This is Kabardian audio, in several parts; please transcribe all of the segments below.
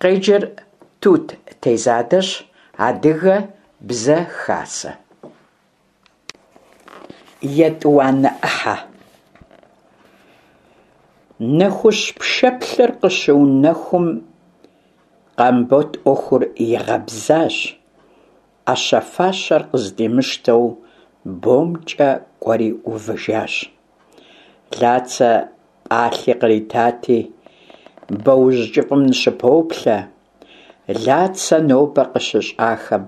Къеджэр Тут Тезадэщ, Адыгэ бзэ хасэ. Етӏуанэ ӏыхьэ. Нэхущ пшэплъыр къыщыунэхум, Къамбот ӏуэхур игъэбзащ, ӏэщэ-фащэр къыздимыщтэу бомкӏэ кӏуэри увыжащ. Лацэ пӏалъи къритати, боужь кӏыфӏым ныщыпоплъэ. Лацэ нобэ къыщыщӏахэм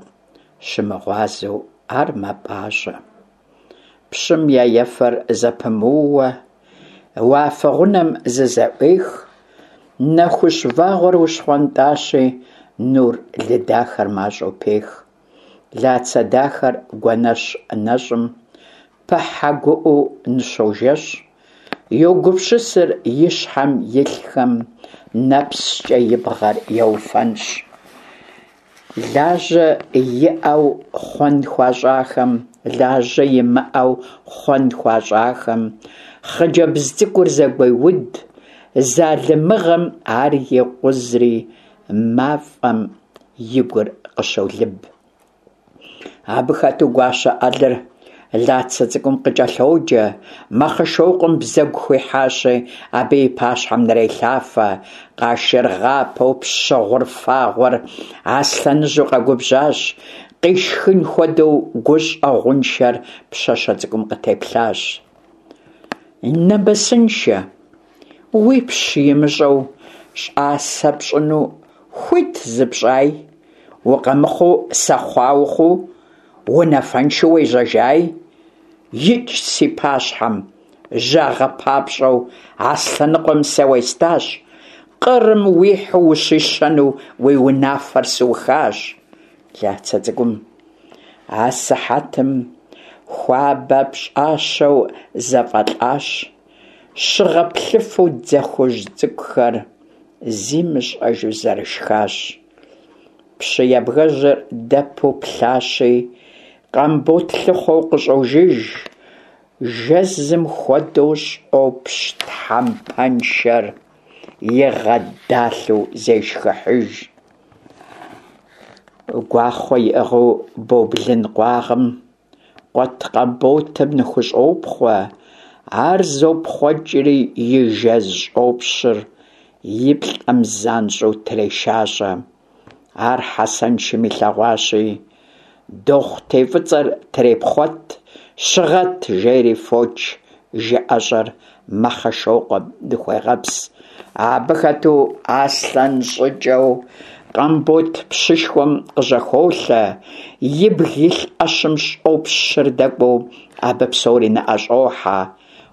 щымыгъуазэу ар мэпӏащӏэ. Пщым я ефэр зэпымыууэ уафэ гъунэм зызэӏуех, нэхущ вагъуэр ущхъуэнтӏащи, нур лыдахэр мащӏэу пех. Лацэ дахэр гуэнэщ нэщӏым пыхьэ гуӏэу ныщожэщӏ, йогупсысыр и щхьэм илъхэм, нэпскӏэ и бгъэр еуфэнщӏ. Лажьэ иӏэу хъуэн хуащӏахэм, лажьэ имыӏэу хъуэн хуащӏахэм, хъыджэбз цӏыкӏур зэгуеуд, залымыгъэм ар екъузри, мафӏэм и гур къыщолыб. Абы хэту гуащэ ӏэлыр Лацэ цӏыкӏум къыкӏэлъоджэ, Мэхъэшокъуэм бзэгу хуихьащи, абы и пащхьэм нрелъафэ. Къашыргъапэу пщы гъур фагъуэр аслъэныжьу къэгубжьащ, къишхын хуэдэу гущӏэгъуншэр пщащэ цӏыкӏум къытеплъащ. Нэмысыншэ, уипщ имыщӏэу щӏасэ пщӏыну хуит зыпщӏай? Укъэмыхъуу сэхъуа ухъуу, унафэншэу уежьэжай? Икӏ си пащхьэм, жьагъэ папщӏэу Аслъэныкъуэм сэ уестащ, къырым уихьу ущищэну уи унафэр сыухащ. Лацэ цӏыкӏум асыхьэтым хуабэ пщӏащэу зэфӏэлӏащ, щыгъэ плъыфэу дзэ хужь цӏыкӏухэр зимыщӏэжу зэрышхащ. Пщы ябгэжьыр дэпу плъащи, Къамбот лъыхъуэу къыщӏожыж, жэзым хуэдэу щӏопщ тхьэмпэншэр игъэдалъэу зешхыхьыж. Гуахъуэ иӏыгъыу бо блын къуагъым къуэт Къамботым ныхущӏопхъуэ, ар зопхъуэкӏри и жэз щӏопщыр и плӏэм занщӏэу трешащӏэ. Ар Хьэсэншым илъэгъуащи, дохъутей фӏыцӏэр трепхъуэт, щыгъэт, жери фоч жыӏэщӏэр Мэхъэшокъуэм ныхуегъэпс. Абы хэту аслъэн щӏыкӏэу Къамбот пщышхуэм къыжьэхолъэ, ибг илъ ӏэщым щӏопщыр дэкӏуэу абы псори ныӏэщӏохьэ.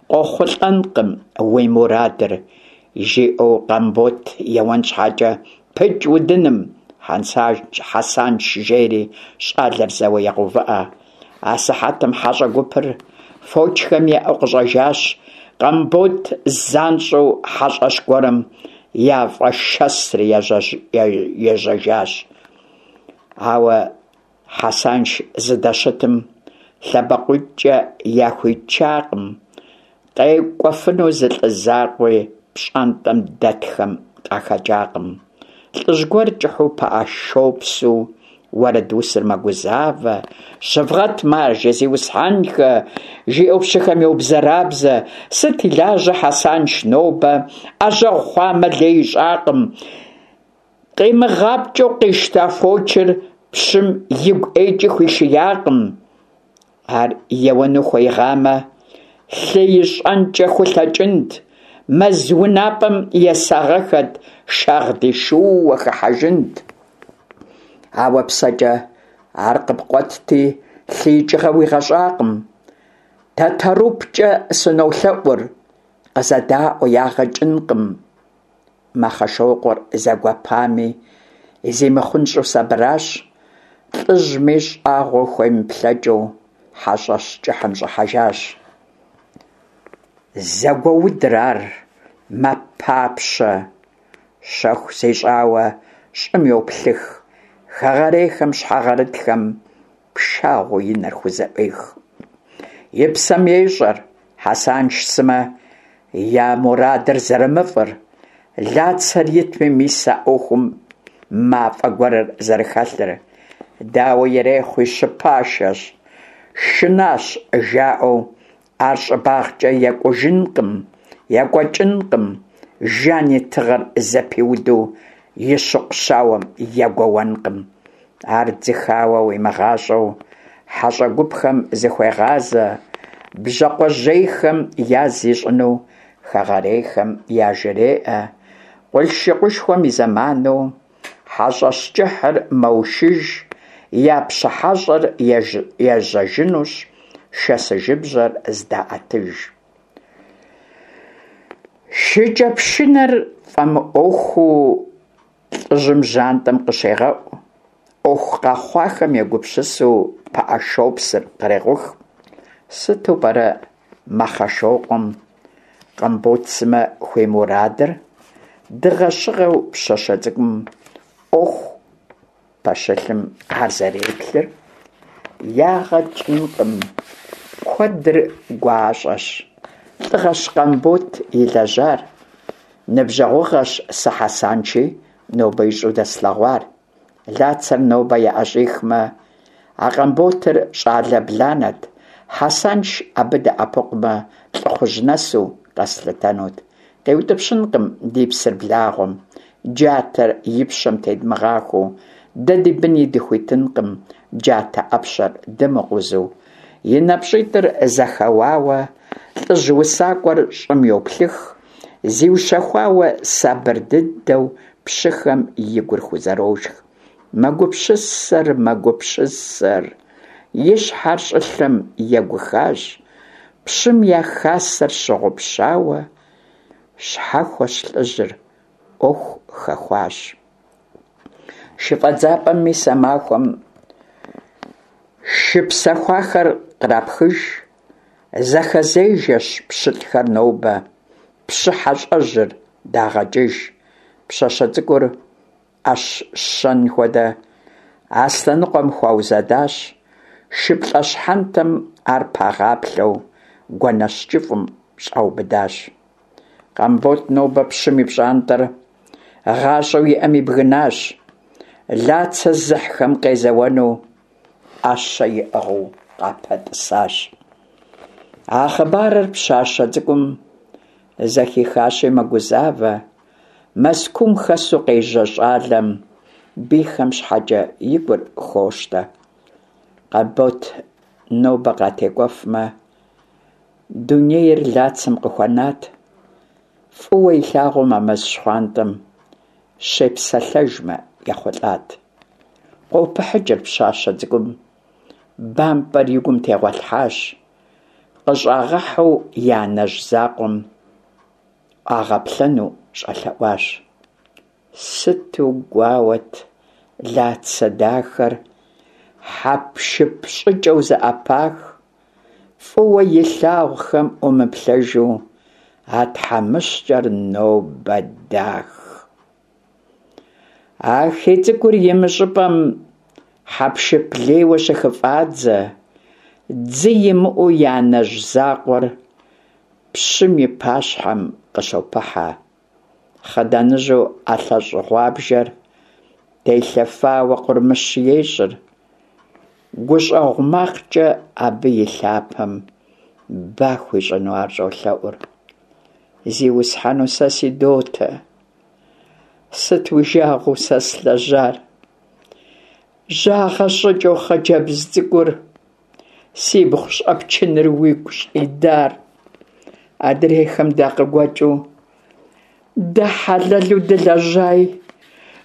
Къохъулӏэнкъым уи мурадыр, жиӏэу Къамбот еуэн щхьэкӏэ, пыкӏ удыным, Хьэсанш жери щӏалэр зэуэ егъэувыӏэ. Асыхьэтым хьэщӏэ гупыр фочхэм еӏэу къыщӏэжащ. Къамбот занщӏэу хьэщӏэщ гуэрым яфӏэшэсри ежьэжащ. Ауэ Хьэсанш зыдэщытым лъэбакъуитӏкӏэ яхуичакъым, къекӏуэфыну зы лӏы закъуи пщӏантӏэм дэтхэм къахэкӏакъым. Лӏыжь гуэр кӏыхьу пыӏэшопсу уэрэдусыр мэгузавэ, Щывгъэт, маржэ, зиусхьэнхэ! жиӏэу пщыхэм йобзэрабзэ, Сыт и лажьэ Хьэсанш нобэ, ӏэжьэгъу хъуамэ, лей ищӏакъым. Къимыгъапкӏэу къищта фочыр пщым игу ӏейкӏи хуишиякъым. Ар еуэну хуеигъамэ, лъы ищӏэнкӏэ хулъэкӏынт, мэз унапӏэм есагъэхэт, шагъдий шууэ хыхьэжынт. Ауэ псэкӏэ ар къыпкъуэтти, лъы икӏыгъэ уигъэщӏакъым. Тэтэрупкӏэ сынолъэӏур, къызэдаӏуэ, ягъэ кӏынкъым. Мэхъэшокъуэр зэгуэпами, зимыхъунщӏэу сабыращ, лӏыжьми щӏагъуэу хуемыплъэкӏыу хьэщӏэщ кӏыхьым щӏыхьэжащ. Зэгуэудыр ар, мэпапщэ, щэху зищӏауэ щӏым йоплъых, хэгъэрейхэм щхьэгъэрытхэм пшагъуэу и нэр хузэӏуех. И псэм ещӏэр, Хьэсанш сымэ я мурадыр зэрымыфӏыр, Лацэр итми, мис а ӏуэхум мафӏэ гуэрыр зэрыхэлъыр. Дауэ ирехъуи, щыпашэщ, шынащ жаӏэу ар щӏыбагъкӏэ екӏужынкъым, екӏуэкӏынкъым, Жан и тыгъэр зэпиуду и щыкъу щауэм егуэуэнкъым. Ар дзыхауэ уимыгъащӏэу хьэщӏэ гупхэм зыхуегъазэ, бжьакъуэжьейхэм яз ищӏыну хэгъэрейхэм яжреӏэ, къулъшыкъушхуэм и зэману хьэщӏэщ кӏыхьыр мэушыж, я пщы хьэщӏэр ежьэжынущ, шэсыжыбжьэр здаӏэтыж. Шыкӏэпшынэр фӏэмыӏуэхуу лӏыжьым жьантӏэм къыщегъэӏу, ӏуэху къэхъуахэм егупсысу пыӏэ шопсыр кърекъух. Сыту пӏэрэ Мэхъэшокъуэм Къамбот сымэ хуимурадыр? Дыгъэ-щыгъэу пщащэ цӏыкӏум ӏуэху пэщылъым ар зэреплъыр? Ягъэ кӏынкъым, куэдыр гуащӏэщ. Лӏыгъэщ Къамбот илэжьар. Ныбжьэгъугъэщ сэ Хьэсанши нобэ ищӏу дэслъэгъуар. Лацэр нобэ яӏэщӏихмэ, а Къамботыр щӏалэ бланэт, Хьэсанш абы дэӏэпыкъумэ, лӏыхъужь нэсу къэслъытэнут. Къиутӏыпщынкъым ди псыр благъуэм, джатэр и пщэм тедмыгъахуэу, дэ ди быни дыхуитынкъым джатэ ӏэпщэр дымыкъузу. И нэпщӏитӏыр зэхэуауэ, лӏыжь усакӏуэр щӏым йоплъых, зиущэхуауэ сабыр дыдэу пщыхэм и гур хузэрошх. Мэгупсысэр, мэгупсысэр, и щхьэр щӏылъэм егухащ, пщым я хасэр щыгъупщауэ, щхьэхуэщ лӏыжьыр, ӏуэху хэхуащ. Шыфӏэдзапӏэм мис а махуэм шы псэхуахэр кърапхыж, зэхэзежэщ пщылӏхэр нобэ, пщы хьэщӏэжьыр дагъэкӏыж, пщащэ цӏыкӏур ӏэщ щэн хуэдэ Аслъэныкъуэм хуаузэдащ, шыплӏэ щхьэнтэм ар пагъаплъэу гуэнэщ кӏыфӏым щӏаубыдащ. Къамбот нобэ пщым и пщӏантӏэр гъащӏэу иӏэм ибгынащ, Лацэ зыхьхэм къезэуэну ӏэщэ иӏыгъыу къапэтӏысащ. А хъыбарыр пщащэ цӏыкӏум зэхихащи мэгузавэ, Мэзкуум хэсу къежьэ щӏалэм бийхэм щхьэкӏэ и гур хощтэ. Къамбот нобэ къатекӏуэфмэ, дунейр Лацэм къыхуэнат, фӏыуэ илъагъум а мэз щхъуантӏэм щепсэлъэжмэ ехъулӏат. Къопыхьыкӏыр пщащэ цӏыкӏум, бампӏэр и гум тегъуэлъхьащ, къыщӏагъэхьэу и анэжь закъуэм ӏуагъэплъэну щӏэлъэӏуащ. Сыту гуауэт Лацэ дахэр хьэпшып щӏыкӏэу зэӏэпах, фӏыуэ илъагъухэм ӏумыплъэжу а тхьэмыщкӏэр нобэ дах. А хей цӏыкӏур имыщӏыпӏэм хьэпшып лейуэ щыхыфӏадзэ, дзы имыӏэу и анэжь закъуэр пщым и пащхьэм къыщопыхьэ. Хъыданыжьу ӏэлъэщӏ гъуабжэр телъэфауэ къурмыщ ещӏыр. Гущӏэгъу макъкӏэ абы и лъапэм ба хуищӏыну ар щӏолъэӏур. Зиусхьэну сэ си дотэ, сыт уи жагъуэу сэ слэжьар? Жьагъэ щӏыкӏэу хъыджэбз цӏыкӏур сибгъу щӏэпчыныр уигу щӏидар? Адрейхэм дакъыгуэкӏыу дэ хьэлэлу дылэжьай,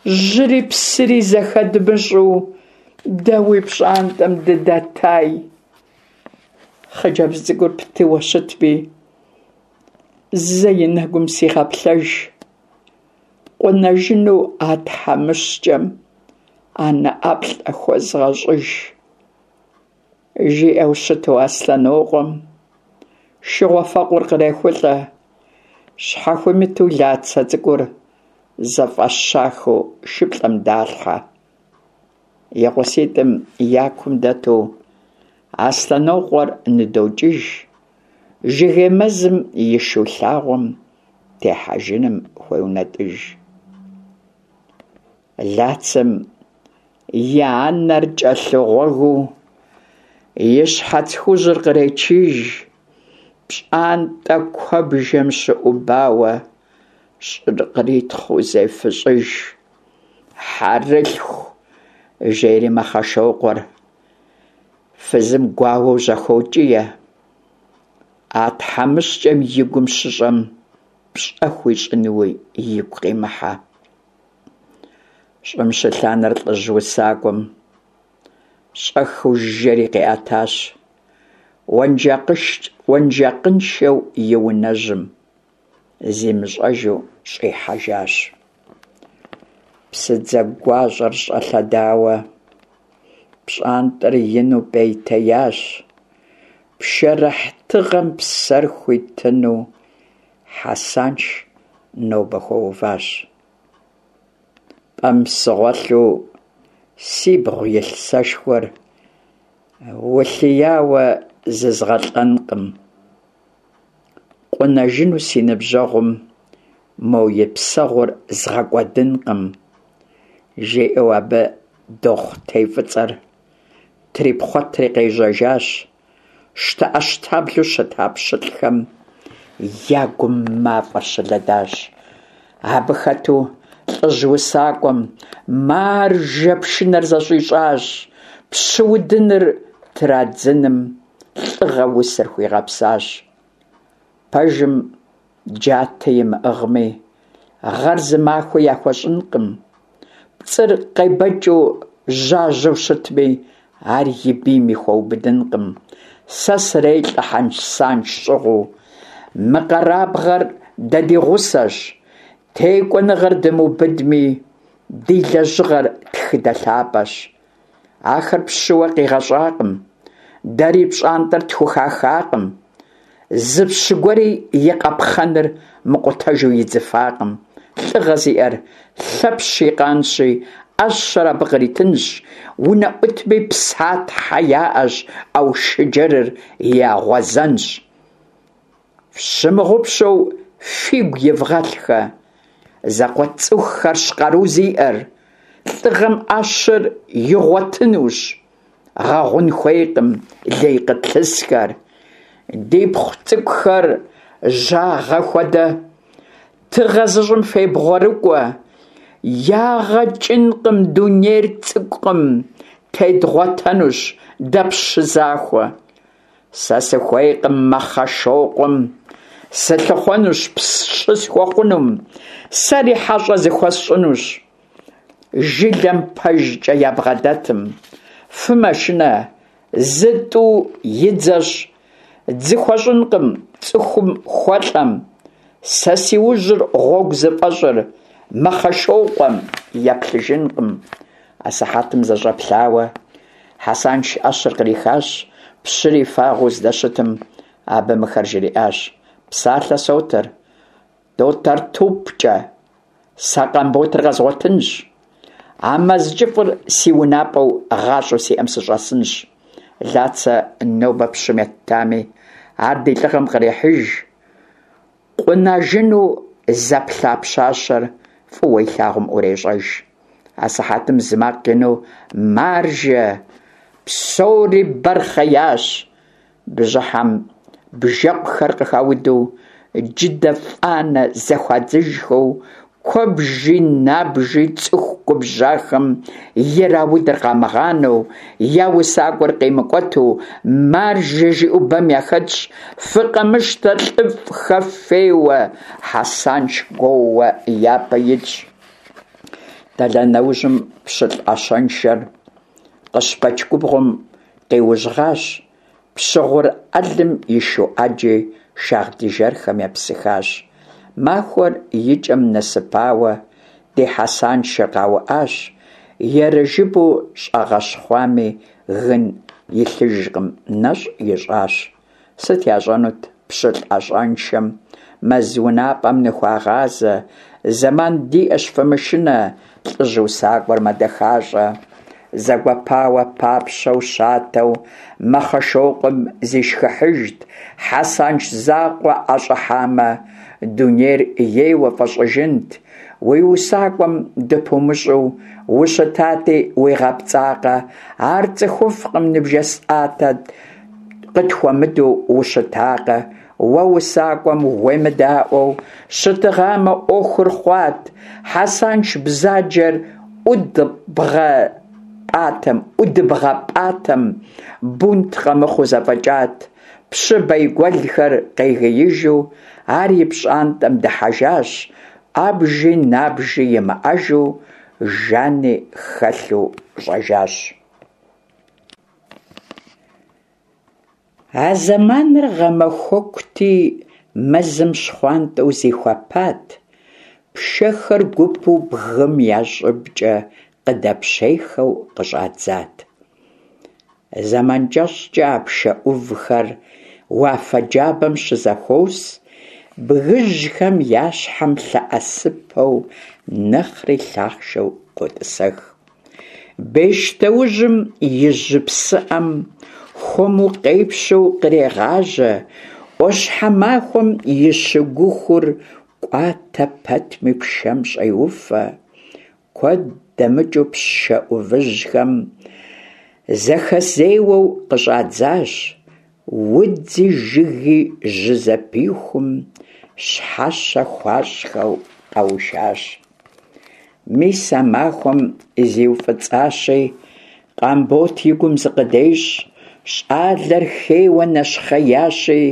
жьыри псыри зэхэдмыщӏу дэ уи пщӏантӏэм дыдэтай. Хъыджэбз цӏыкӏур птыуэ щытми, зэ и нэгум сигъэплъэж, къунэжыну а тхьэмыщкӏэм анэ ӏэплӏэ хуэзгъэщӏыж, жиӏэу щыту Аслъэнокъуэм шыгъуэфэкъур кърехулӏэ, щхьэхуимыту Лацэ цӏыкӏур зэфӏэщахэу шыплӏэм далъхьэ. И гъуситӏым я кум дэту Аслъэнокъуэр ныдокӏыж, жыгей мэзым и шу лъагъуэм техьэжыным хуеунэтӏыж. Лацэм и анэр кӏэлъыгъуэгыу и щхьэц хужьыр къречыж, пщӏантӏэ куэбжэм щыӏубауэ щӏыр къритхъыу зефыщӏыж. Хьэрылъху, жери Мэхъэшокъуэр фызым гуауэу жьэхокӏие. А тхьэмыщкӏэм и гум щыщӏэм пщӏэ хуищӏынуи игу къимыхьэ. Щӏым щылъ анэр лӏыжь усакӏуэм щӏэхыу жэри къиӏэтащ, уэнжакъыншэу и унэжьым зимыщӏэжу щӏихьэжащ. Псыдзэ гуащӏэр щӏэлъэдауэ, пщӏантӏэр ину пӏейтеящ. Пшэрыхь тыгъэм псэр хуитыну Хьэсанш нобэ хуэуващ. Пӏэм сыгъуэлъу сибгъу илъ сэшхуэр улъияуэ зызгъэлӏэнкъым. Къунажыну си ныбжьэгъум мо и псэгъур згъэкӏуэдынкъым, жиӏэу абы дохъутей фӏыцӏэр трипхъуэтри къежьэжащ. Щтэӏэщтаблэу щыта пщылӏхэм я гум мафӏэр щылэдащ. Абы хэту лӏыжь усакӏуэм маржэ пшынэр зэщӏищӏащ, пщы удыныр традзыным лӏыгъэ усэр хуигъэпсащ. Пэжым джатэ имыӏыгъми, гъэр зы махуэ яхуэщӏынкъым. Пцӏыр къебэкӏыу жьажьэу щытми, ар и бийми хуэубыдынкъым. Сэ срелӏэ Хьэсанш щӏыгъуу. Мы къэрабгъэр дэ ди гъусэщ. Текӏуэныгъэр дымыубыдми, ди лэжьыгъэр тхыдэ лъапӏэщ. Ахэр пщыуэ къигъэщӏакъым, дэри пщӏантӏэр тхухахакъым. Зы пщы гуэри и къапхъэныр мыкъутэжу идзыфакъым. Лӏыгъэ зиӏэр Лъэпщ и къанщи, ӏэщэр абы къритынщ, унэӏутми Псатхьэ яӏэщ, Аушыджэрыр я гъуазэнщ. Фщымыгъупщэу фигу ивгъэлъхэ, зэкъуэт цӏыхухэрщ къару зиӏэр, лӏыгъэм ӏэщэр игъуэтынущ, гъэгъун хуейкъым лей къытлъысхэр. Дипхъу цӏыкӏухэр жьагъэ хуэдэ, тыгъэ зыщӏым фебгъуэрыкӏуэ, ягъэ кӏынкъым, дунейр цӏыкӏукъым, тедгъуэтэнущ дэ пщы захуэ. Сэ сыхуейкъым Мэхъэшокъуэм, сылъыхъуэнущ пщы схуэхъунум, сэри хьэщӏэ зыхуэсщӏынущ. Жылэм пэжкӏэ ябгъэдэтым, фымэшынэ, зы-тӏу и дзэщ, дзы хуэщӏынкъым цӏыхум хуэлӏэм. Сэ си ужьыр гъуэгу зыфӏэщӏыр Мэхъэшокъуэм еплъыжынкъым. Асыхьэтым зэщӏэплъауэ, Хьэсанш ӏэщэр кърихащ, пщыри фагъуэу здэщытым, абы мыхэр жриӏащ: Псалъэ сотыр, Тотэртупкӏэ, сэ Къамботыр къэзгъуэтынщ. А мэз кӏыфӏыр си унапӏэу гъащӏэу сиӏэм сыщӏэсынщ. Лацэ нобэ пщым еттами, ар ди лӏыгъэм кърехьыж. Къунажыну зэплъа пщащэр фӏыуэ илъагъум ӏурещӏэж. Асыхьэтым зы макъ ину маржэ, псори бэр хъеящ. Бжьыхьэм бжэкъухэр къыхауду, джыдэ фӏанэ зэхуадзыжхэу, куэбжи набжи цӏыху губжьахэм ираудыр къамыгъанэу, я усакӏуэр къимыкӏуэту, маржэ жиӏэу бэм яхэтщ, фыкъэмыщтэ лӏыфӏхэ феуэ, Хьэсанш гуоууэ япэ итщ. Тэлай нэужьым пщылӏ ӏэщэншэр Къыщбэч губгъуэм къиужьгъащ, пщыгъур ӏэлым и шу ӏэджи шагъдий жэрхэм епсыхащ. Махуэр и кӏэм нэсыпауэ ди Хьэсаншыр къауӏащ, ерыжыбу щӏэгъэщхъуами, гын илъыжкъым, нэщӏ ищӏащ. Сыт ящӏэнут пщылӏ ӏэщэншэм? Мэз унапӏэм ныхуагъазэ, зэман диӏэщ, фымышынэ, лӏыжь усакӏуэр мэдэхащӏэ. Зэгуэпауэ, папщэу, щатэу, Мэхъэшокъуэм зишхыхьыжт, Хьэсанш закъуэ ӏэщӏыхьамэ, дунейр ейуэ фӏэщӏыжынт. Уи усакӏуэм дыпумыщӏу ущытати, уигъэпцӏакъэ, Ар цӏыхуфӏкъым ныбжесӏатэ, къытхуэмыдэу ущытакъэ. Уэ усакӏуэм уемыдаӏуэу щытыгъамэ, ӏуэхур хъуат, Хьэсанш бзаджэр ӏудыбгъэпӏатэм, бунт къэмыхъуу зэфӏэкӏат. Пщы бейгуэлхэр къегиижу ар и пщӏантӏэм дыхьэжащ, ӏэбжи набжи имыӏэжу Жани хэлъу щӏэжащ. А зэманыр гъэмахуэкути, мэзым щхъуантӏэу зихуэпат, пшэхэр гупу бгым я щӏыбкӏэ къыдэпщейхэу къыщӏадзат. Зэман кӏэщӏкӏэ а пшэ ӏувхэр уафэ джабэм щызэхуос, бгыжьхэм я щхьэм лъэӏэсыпэу нэхъри лъахъшэу къотӏысэх. Бещтоужьым и жьы псыӏэм хуэму къепщэу кърегъажьэ, ӏуащхьэмахуэм и щыгухур кӏуатэ пэтми пшэм щӏеуфэ. Куэд дэмыкӏыу пшэ ӏувыжьхэм зэхэзеуэу къыщӏадзащ, удзи жыги жьы зэпихум щхьэщэ хуащӏхэу къэушащ. Мис а махуэм зиуфӏыцӏащи, Къамбот и гум зыкъыдещӏ, щӏалэр хейуэ нэщхъеящи,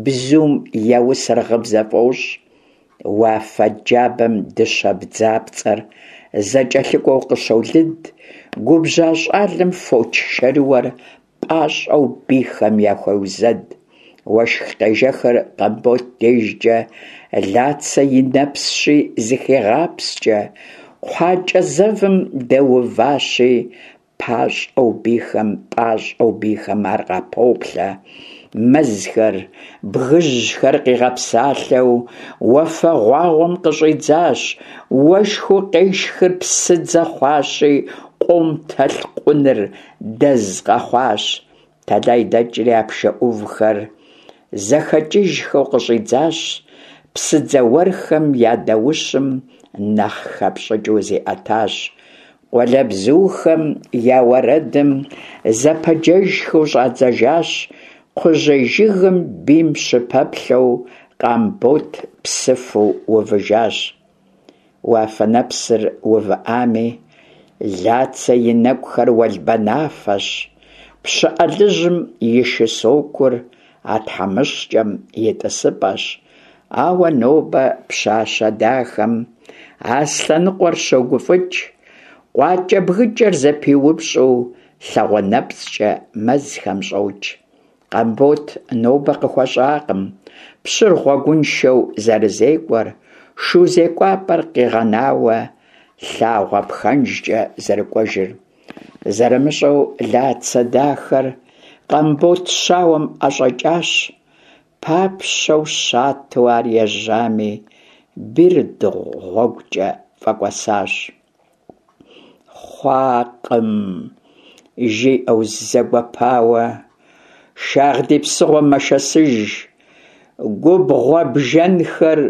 бзум яусыр гъыбзэ фӏощӏ. Уафэ джабэм дыщэ бдзапцӏэр зэкӏэлъыкӏуэу къыщолыд, губжьа щӏалэм фоч шэрыуэр пӏащӏэу бийхэм яхуеузэд. Уэшх къежэхыр Къамбот дежкӏэ Лацэ и нэпсщи зыхегъапскӏэ, кхъуакӏэ зэвым дэуващи, Пащӏэу бийхэм, пӏащӏэу бийхэм ар къапоплъэ. Мэзхэр, бгыжьхэр къигъэпсалъэу уафэгъуагъуэм къыщӏидзащ, уэшхыу къешхыр псыдзэ хъуащи, къуэм толъкъуныр дэз къэхъуащ. Тэлай дэкӏри а пшэ ӏувхэр зэхэкӏыжхэу къыщӏидзащ, псыдзэ уэрхэм я даущым нэхъ хэпщӏыкӏыу зиӏэтащ. Къуалэбзухэм я уэрэдым зэпэджэжхэу щӏадзэжащ, кхъужьей жыгым бийм щыпэплъэу Къамбот псыфу увыжащ. Уафэ нэпсыр увыӏами, Лацэ и нэкӏухэр уэлбанафэщ, пщыӏэ лӏыжьым и шы сокур а тхьэмыщкӏэм и тӏысыпӏэщ. Ауэ нобэ пщащэ дахэм Аслъэныкъуэр щогуфӏыкӏ, къуакӏэ-бгыкӏэр зэпиупщӏу лъагъуэ нэпцӏкӏэ мэзхэм щӏокӏ. Къамбот нобэ къыхуэщӏакъым пщыр гъуэгуншэу зэрызекӏуэр, шу зекӏуапӏэр къигъэнауэ лъагъуэ пхэнжкӏэ зэрыкӏуэжыр. Зэрымыщӏэу Лацэ дахэр Къамбот щауэм ӏэщӏэкӏащ. Папщэу щатэу ар ежьами, бийр дыгъу гъуэгукӏэ фӏэкӏуэсащ. Хъуакъым, жиӏэу зэгуэпауэ, Шагъдий псыгъуэ мэшэсыж, губгъуэ бжэнхэр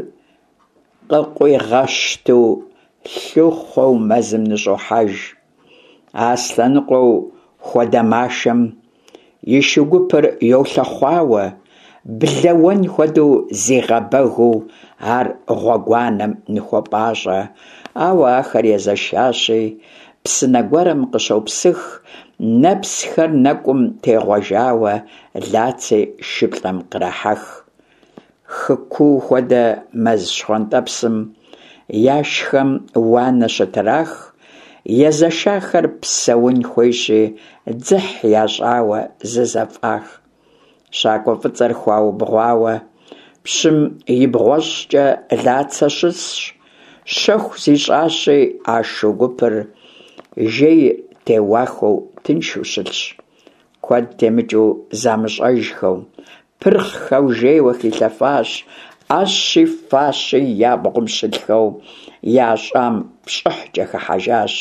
къыкъуигъэщту лъыхъуэу мэзым ныщӏохьэж. Аслъэныкъуэу хуэдэмашэм и шу гупыр йолъэхъуауэ, блэ уэн хуэдэу зигъэбэгыу ар гъуэгуанэм ныхуопӏащӏэ, ауэ ахэр езэшащи, псынэ гуэрым къыщопсых, нэпсхэр нэкӏум тегъуэжауэ Лаци шыплӏэм кърахьэх. Хы куу хуэдэ мэз щхъуантӏэпсым яшхэм уанэ щытрах, езэшахэр псэун хуейщи, дзыхь ящӏауэ зызэфӏах. Щакӏуэ фӏыцӏэр хуаубгъуауэ, пщым и бгъуэщӏкӏэ Лацэ щысщ, щэху зищӏащи, а шу гупыр жей теуахэу тыншу щылъщ. Куэд темыкӏыу замыщӏэжхэу, пырхъхэу жейуэ хилъэфащ, ӏэщи фащи я бгъум щылъхэу ящӏам пщӏыхькӏэ хыхьэжащ.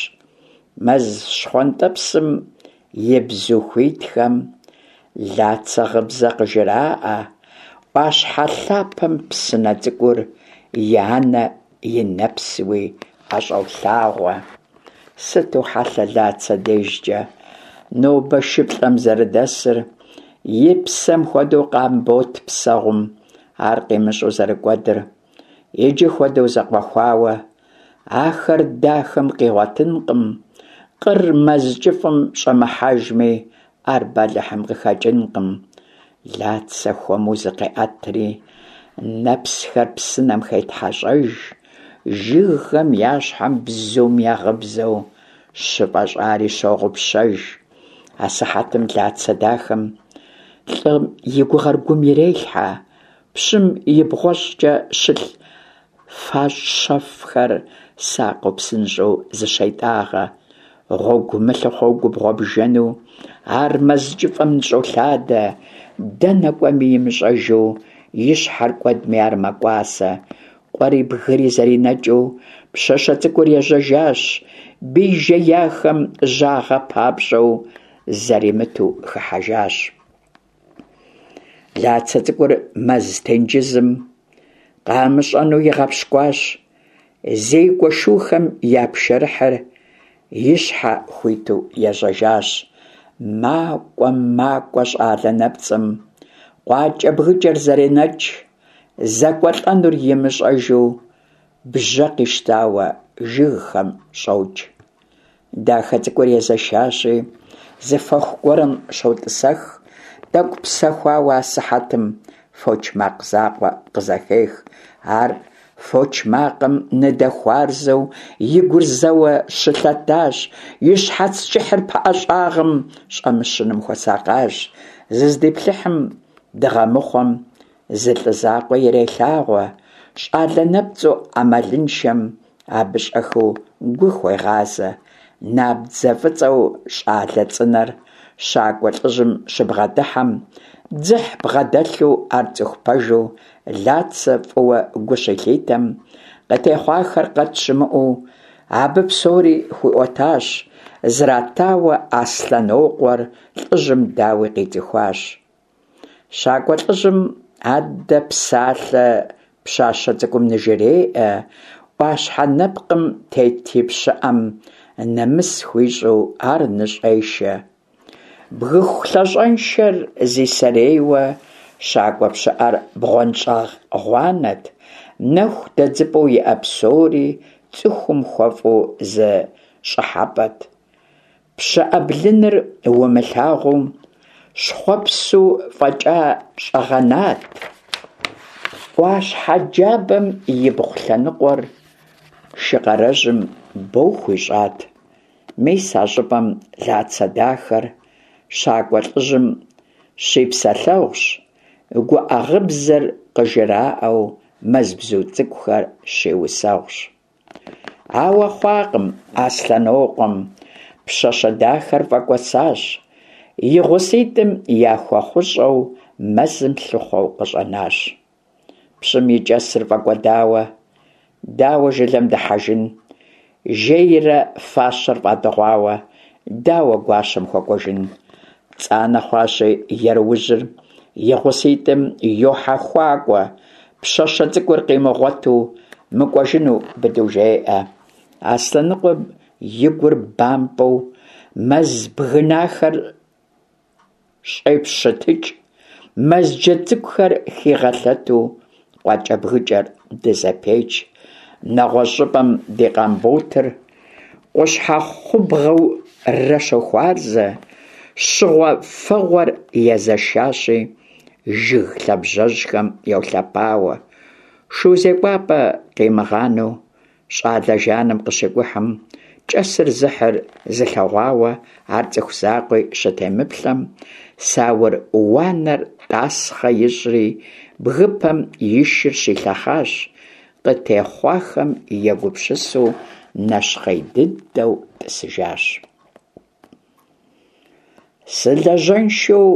Мэз щхъуантӏэпсым и бзу хуитхэм Лацэ гъыбзэ къыжраӏэ, ӏуащхьэ лъапэм псынэ цӏыкӏур и анэ и нэпсуи ӏэщӏолъагъуэ. Сыту хьэлъэ Лацэ дежкӏэ нобэ шыплӏэм зэрыдэсыр, и псэм хуэдэу Къамбот псэгъум ар къимыщӏэу зэрыкӏуэдыр. Иджы хуэдэу зэкъуэхуауэ ахэр дахэм къигъуэтынкъым, къыр мэз кӏыфӏым щӏэмыхьэжми, ар бэлыхьым къыхэкӏынкъым. Лацэ хуэму зыкъеӏэтри, нэпсхэр псынэм хетхьэщӏэж, жыгхэм я щхьэм бзум я гъыбзэу щыфӏэщӏари щогъупщэж. Асыхьэтым Лацэ дахэм лӏым и гугъэр гум ирелъхьэ, пщым и бгъуэщӏкӏэ щылъ фащэфӏхэр сакъыу псынщӏэу зыщетӏагъэ. Гъуэгу мылъыхъуэу губгъуэ бжэну ар мэз кӏыфӏым ныщӏолъадэ, дэнэ кӏуэми имыщӏэжу, и щхьэр кӏуэдми ар мэкӏуасэ. Къуэри бгыри зэринэкӏыу пщащэ цӏыкӏур ежьэжащ, бий жеяхэм жьагъэ папщӏэу зэримыту хыхьэжащ. Лацэ цӏыкӏур мэз тенджызым къамыщӏэну игъэпщкӏуащ. Зекӏуэ шухэм я пшэрыхьыр и щхьэ хуиту ежьэжащ. Макӏуэ, макӏуэ щӏалэ нэпцӏым, къуакӏэбгыкӏэр зэренэкӏ, зэкӏуэлӏэнур имыщӏэжу бжьэ къищтауэ жыгхэм щӏокӏ. Дахэ цӏыкӏур езэшащи, зы фэху гуэрым щотӏысэх, тӏэкӏу псэхуауэ асыхьэтым фоч макъ закъуэ къызэхех. Ар фоч макъым ныдэхуарзэу и гур зэуэ щылъэтащ, и щхьэц кӏыхьыр пыӏэ щӏагъым щӏэмыщыным хуэсакъащ. Зыздиплъыхьым дыгъэмыхъуэм зы лӏы закъуэ ирелъагъуэ, щӏалэ нэпцӏу ӏэмалыншэм абы щӏэхыу гу хуегъазэ. Набдзэ фӏыцӏэу щӏалэ цӏынэр щакӏуэ лӏыжьым щыбгъэдыхьэм, дзыхь бгъэдэлъу ар цӏыху пэжу Лацэ фӏыуэ гу щилъитэм, къытехъуахэр къэт щымыӏэу абы псори хуиӏуэтащ, зратауэ Аслъэнокъуэр лӏыжьым дауи къицӏыхуащ. Щакӏуэ лӏыжьым аддэ псалъэ пщащэ цӏыкӏум ныжреӏэ, ӏуащхьэ нэпкъым тет и пщыӏэм нэмыс хуищӏу ар ныщӏешэ. Бгыху лъащӏэншэр зи сэрейуэ щакӏуэ пщыӏэр бгъуэнщӏагъ гъуанэт, нэху дэдзыпӏэу иӏэ псори цӏыхум хуэфӏу зы щӏыхьэпӏэт. Пщыӏэ блыныр умылъагъуу щхъуэпсу фӏэкӏа щӏэгъэнат. ӏуащхьэ джабэм ибгъу лъэныкъуэр Шыкъарэжьым бо хуищӏат. Мис а щӏыпӏэм Лацэ дахэр щакӏуэ лӏыжьым щипсэлъэгъущ, гуӏэ гъыбзэр къыжраӏэу мэз бзу цӏыкӏухэр щиусэгъущ. Ауэ хъуакъым Аслъэнокъуэм, пщащэ дахэр фӏэкӏуэсащ, и гъуситӏым яхуэхъущӏэу мэзым лъыхъуэу къыщӏэнащ. Пщым и кӏэсыр фӏэкӏуэдауэ, дауэ жылэм дыхьэжын? Жейрэ фащэр фӏадыгъуауэ, дауэ гуащэм хуэкӏуэжын? Пцӏанэ хъуащи ерыужьыр, и гъуситӏым йохьэхуакӏуэ, пщащэ цӏыкӏур къимыгъуэту мыкӏуэжыну быдэу жеӏэ. Аслъэныкъуэм и гур бампӏэу мэз бгынахэр щӏепщытыкӏ, мэз джэд цӏыкӏухэр хигъэлъэту къуакӏэбгыкӏэр дызэпеч. Нэгъуэщӏ щӏыпӏэм ди Къамботыр къущхьэхъубгъэурэ щохуарзэ, щыгъуэ фэгъуэр езэшащи, жыг лъабжьэжьхэм йолъэпауэ. Шу зекӏуапӏэ къимыгъанэу Щӏалэ жаным къыщикӏухьым, кӏэсыр зыхьыр зылъэгъуауэ ар цӏыху закъуи щытемыплъэм, саур уанэр тӏасхъэ ищӏри, бгыпэм и шыр щилъэхъащ, къытехъуахэм егупсысу нэщхъей дыдэу тӏысыжащ. Сылэжьэншэу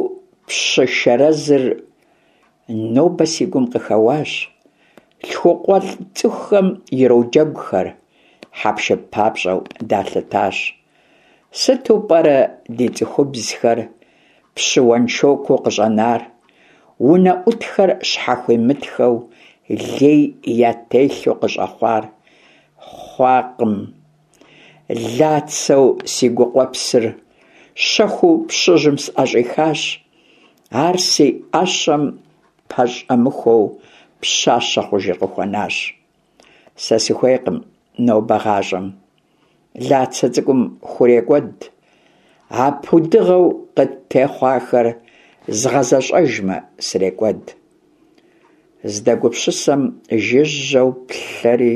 пщы шэрэзыр нобэ си гум къыхэуащ. Лъхукъуэлӏ цӏыхухэм ироджэгухэр, хьэпшып папщӏэу далъытащ. Сыту пӏэрэ ди цӏыхубзхэр пщы уэншокуу къыщӏэнар? Унэӏутхэр щхьэхуимытхэу лей ятелъу къыщӏэхъуар хъуакъым. Лацэу си гукъуэпсыр щэхуу пщыжьым сӏэщӏихащ. Ар си ӏэщэм пэщӏэмыхуэу пщащэ хъужыр къыхуэнащ. Сэ сыхуейкъым нобэ гъащӏэм. Лацэ цӏыкӏум хурекӏуэд. А пудыгъэу къыттехъуахэр згъэзэщӏэжмэ, срекӏуэд. Здэгупсысэм жыжьэу плъэри,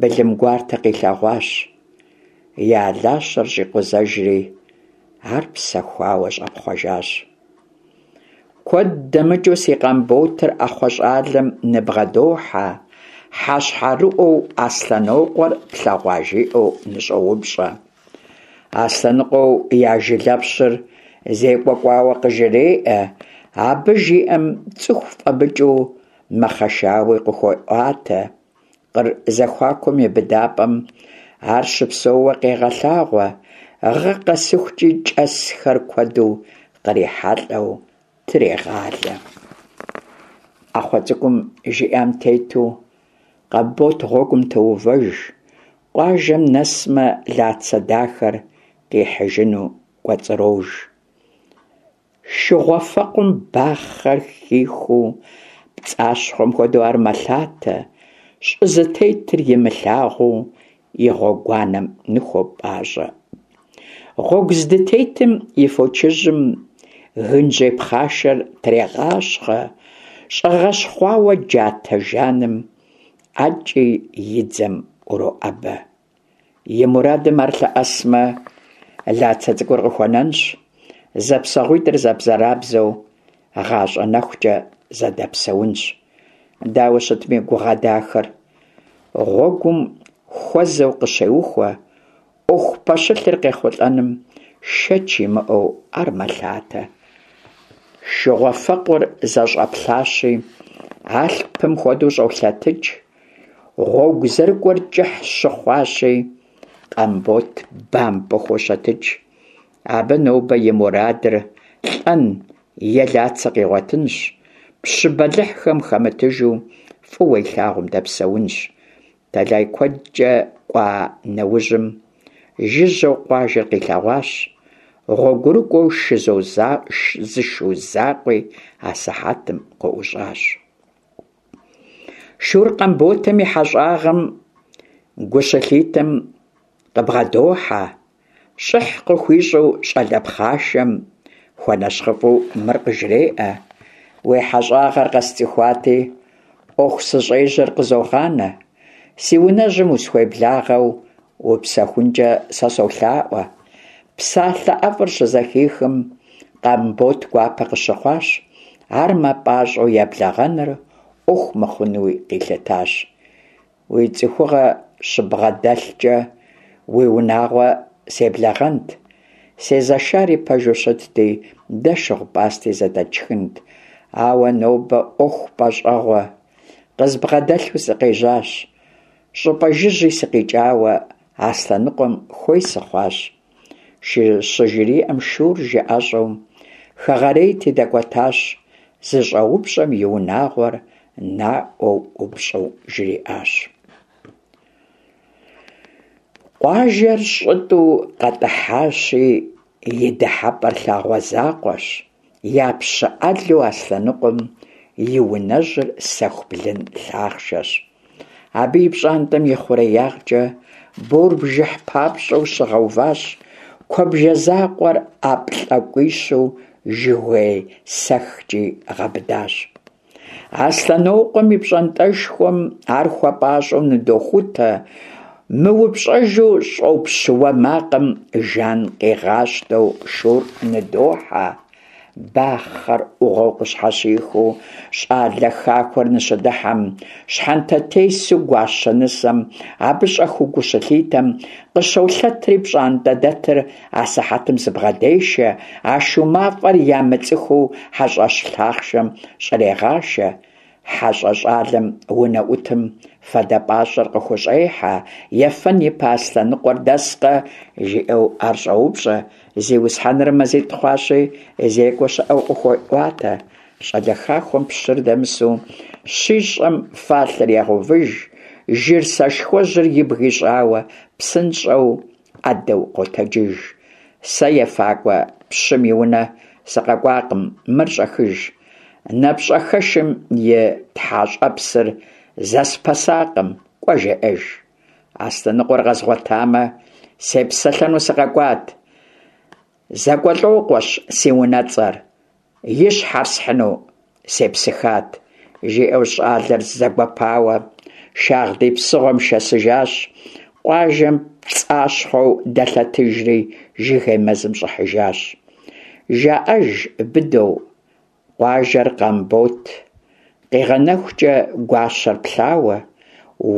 былым гуартэ къилъэгъуащ. И алащэр щӏикъузэжри, ар псэхуауэ щӏэпхъуэжащ. Куэд дэмыкӏыу си Къамботыр ӏэхъуэ щӏалэм ныбгъэдохьэ, хьэщхьэрыӏуэу Аслъэнокъуэр плъэгъуа жиӏэу ныщӏоупщӏэ. Аслъэныкъуэу я жылэпщыр зекӏуэ кӏуауэ къыжреӏэ, абы жиӏэм цӏыху фӏэмыкӏыу мэхъэшауи къыхуеӏуатэ. Къыр зэхуакум и быдапӏэм ар щыпсэууэ къегъэлъагъуэ, гъэ къэсыхукӏи кӏэсхэр куэду кърихьэлӏэу трегъалэ. ӏэхъуэ цӏыкӏум жиӏам тету, Къамбот гъуэгум тоувэж, къуажэм нэсмэ, Лацэ дахэр къихьыжыну кӏуэцӏрож. Шыгъуэфэкъум бахъэр хихуу, пцӏащхъуэм хуэдэу ар мэлъатэ, щӏы зытетыр имылъагъуу и гъуэгуанэм ныхуопӏащӏэ. Гъуэгу здытетым и фочыжьым гынжьей пхъашэр трегъащхъэ, щӏэгъэщхъуауэ джатэ жаным ӏэкӏи и дзэм ӏуроӏэбэ. И мурадым ар лъэӏэсмэ, Лацэ цӏыкӏур къыхуэнэнщ, зэпсэгъуитӏыр зэбзэрабзэу гъащӏэ нэхукӏэ зэдэпсэунщ. Дауэ щытми, гугъэ дахэр гъуэгум хуэзэу къыщеухуэ, ӏуэху пэщылъыр къехъулӏэным шэч имыӏэу ар мэлъатэ. Шыгъуэфэкъур зэщӏэплъащи, алъпым хуэдэу щӏолъэтыкӏ. Гъуэгу зэрыкӏуэр кӏыхь щыхъуащи, Къамбот бампӏэу хощэтыкӏ. Абы нобэ и мурадыр лӏэн е Лацэ къигъуэтынщ, пщы бэлыхьхэм хэмытыжу фӏыуэ илъагъум дэпсэунщ. Тэлай куэдкӏэ кӏуа нэужьым жыжьэу къуажэр къилъэгъуащ, гъуэгурыкӏуэу зы шу закъуи асыхьэтым къыӏущӏащ. Шур Къамботым и хьэщӏагъэм гу щылъитэм къыбгъэдохьэ, щӏыхь къыхуищӏу щӏалэ пхъашэм хуэнэщхъыфӏэу мыр къыжреӏэ: Уи хьэщӏагъэр къэсцӏыхуати, ӏуэху сыщӏежьэр къызогъанэ, си унэжьым усхуеблагъэу упсэхункӏэ сэ солъаӏуэ. Псалъэ ӏэфӏыр щызэхихым, Къамбот гуапэ къыщыхъуащ, ар мыпӏащӏэу еблэгъэныр ӏуэху мыхъунуи къилъытащ. Уи цӏыхугъэ щыббгъэдэлъкӏэ, уи унагъуэ себлэгъэнт. Сезэшари пэжу щытти, дэ шыгъу-пӏасти зэдэтшхынт. Ауэ нобэ ӏуэху пӏэщӏэгъуэ къызбгъэдэлъу сыкъежьащ. Щӏыпӏэ жыжьи сыкъикӏауэ Аслъэныкъуэм хуей сыхъуащ. Щыжриӏэм шур жыӏэщӏэу хэгъэрейти дэкӏуэтащ, зыщӏэупщӏэм и унагъуэр наӏуэу ӏупщӏу жриӏащ. Къуажэр щӏытӏу къэтӏыхьащи, и дыхьэпӏэр лъагъуэ закъуэщ, я пщы ӏэлу Аслъэныкъуэм и унэжьыр сэху блын лъахъшэщ. Абы и пщӏантӏэм и хъуреягъкӏэ бор бжыхь папщӏэу щыгъэуващ, куэбжэ закъуэр ӏэплӏакӏуищу жыгуей сэхкӏи гъэбыдащ. Аслъэнокъуэм и пщӏантӏэшхуэм ар хуэпӏащӏэу ныдохутэ, мыупщӏэжу щӏопщ уэ макъым жан къигъащтэу шур ныдохьэ. Бахъэр ӏугъуэу къыщхьэщихыу щӏалэ хахуэр ныщыдыхьэм, щхьэнтэтесу гуащэ нысэм абы щӏэхыу гу щылъитэм, къыщолъэтри пщӏантӏэ дэтыр асыхьэтым зыбгъэдешэ, а шу мафӏэр ямыцӏыхуу хьэщӏэщ лъахъшэм щӏрегъашэ. Хьэщӏэ щӏалэм унэӏутым фадэ пӏащӏэр къыхущӏехьэ, ефэн ипэ Аслъэныкъуэр дэскъэ, жиӏэу ар щӏоупщӏэ, зиусхьэныр мазитӏ хъуащи, зекӏуэ щыӏэу къыхуеӏуатэ. Щӏалэ хахуэм пщыр дэмысу Щищӏэм фалъэр егъэувыж, жыр сэшхуэжьыр ибг ищӏауэ, псынщӏэу ӏэдэу къотэджыж. Сэ ефакӏуэ пщым и унэ сыкъэкӏуакъым, мыр щӏэхыж. Напщӏэхэшым и тхьэщӏэпсыр зэспэсакъым, кӏуэ жеӏэж. Аслъэныкъуэр къэзгъуэтамэ, сепсэлъэну сыкъэкӏуат. Зэкӏуэлӏокъуэщ си унэцӏэр, и щхьэр схьыну сепсыхат, жиӏэу щӏалэр зэгуэпауэ шагъдий псыгъуэм шэсыжащ, къуажэм пцӏащхъуэу дэлъэтыжри жыгей мэзым щӏыхьыжащ. Жаӏэж быдэу Къуажэр Къамбот къигъэнэхукӏэ гуащэр плъауэ,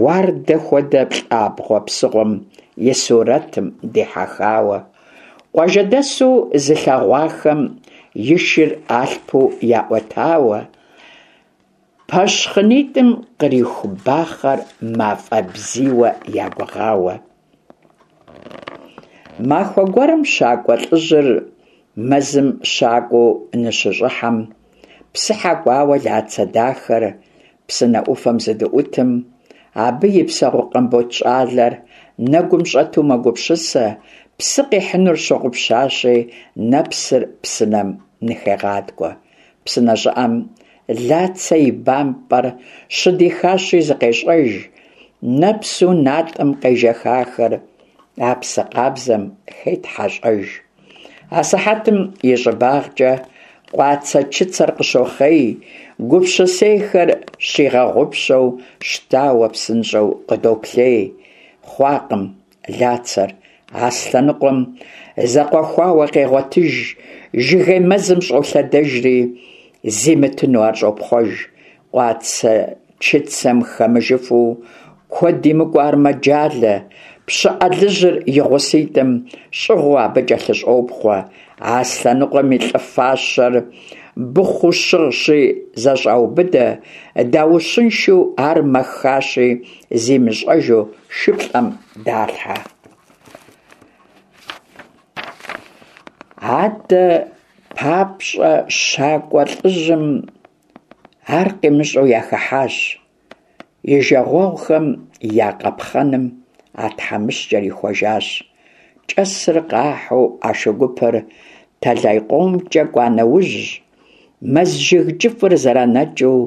уардэ хуэдэ плӏабгъуэ псыгъуэм и сурэтым дихьэхауэ, къуажэдэсу зылъэгъуахэм и шыр алъпу яӏуэтауэ, пэщхъынитӏым къриху бахъэр мафӏэ бзийуэ ягугъауэ. Махуэ гуэрым щакӏуэ лӏыжьыр мэзым щакӏуэу ныщыщӏыхьэм, псыхьэ кӏуауэ Лацэ дахэр псынэ ӏуфэм зыдыӏутым, абы и псэгъу Къамбот щӏалэр нэгум щӏэту мэгупсысэ, псы къихьынур щыгъупщащи, нэпсыр псынэм ныхегъаткӏуэ. Псынэ щӏыӏэм Лацэ и бампӏэр щыдихащи зыкъещӏэж, нэпсу натӏэм къежэхахэр а псы къабзэм хетхьэщӏэж. Асыхьэтым и щӏыбагъкӏэ къуацэ-чыцэр къыщохъей, гупсысейхэр щигъэгъупщэу щтауэ псынщӏэу къыдоплъей. Хъуакъым Лацэр Аслъэныкъуэм зэкъуэхуауэ къегъуэтыж, жыгей мэзым щӏолъэдэжри, зимытыну ар щӏопхъуэж. Къуацэ-чыцэм хэмыжыфу куэд имыкӏуэ ар мэджалэ, пщы ӏэлыжьыр и гъуситӏым щӏыгъуу абы кӏэлъыщӏопхъуэ. Аслъэныкъуэм и лӏы фащэр быхъуу щыгъщи, зэщӏаубыдэ, даущыншэу ар мэхащи, зимыщӏэжу шыплӏэм далъхьэ. Адэ папщӏэ щакӏуэ лӏыжьым ар къимыщӏэу яхыхьащ. И жагъуэгъухэм я къапхъэным а тхьэмыщкӏэр ихуэжащ. Кӏэсыр къахьу а шу гупыр тэлай къомкӏэ кӏуа нэужь, мэз жыг кӏыфӏыр зэранэкӏыу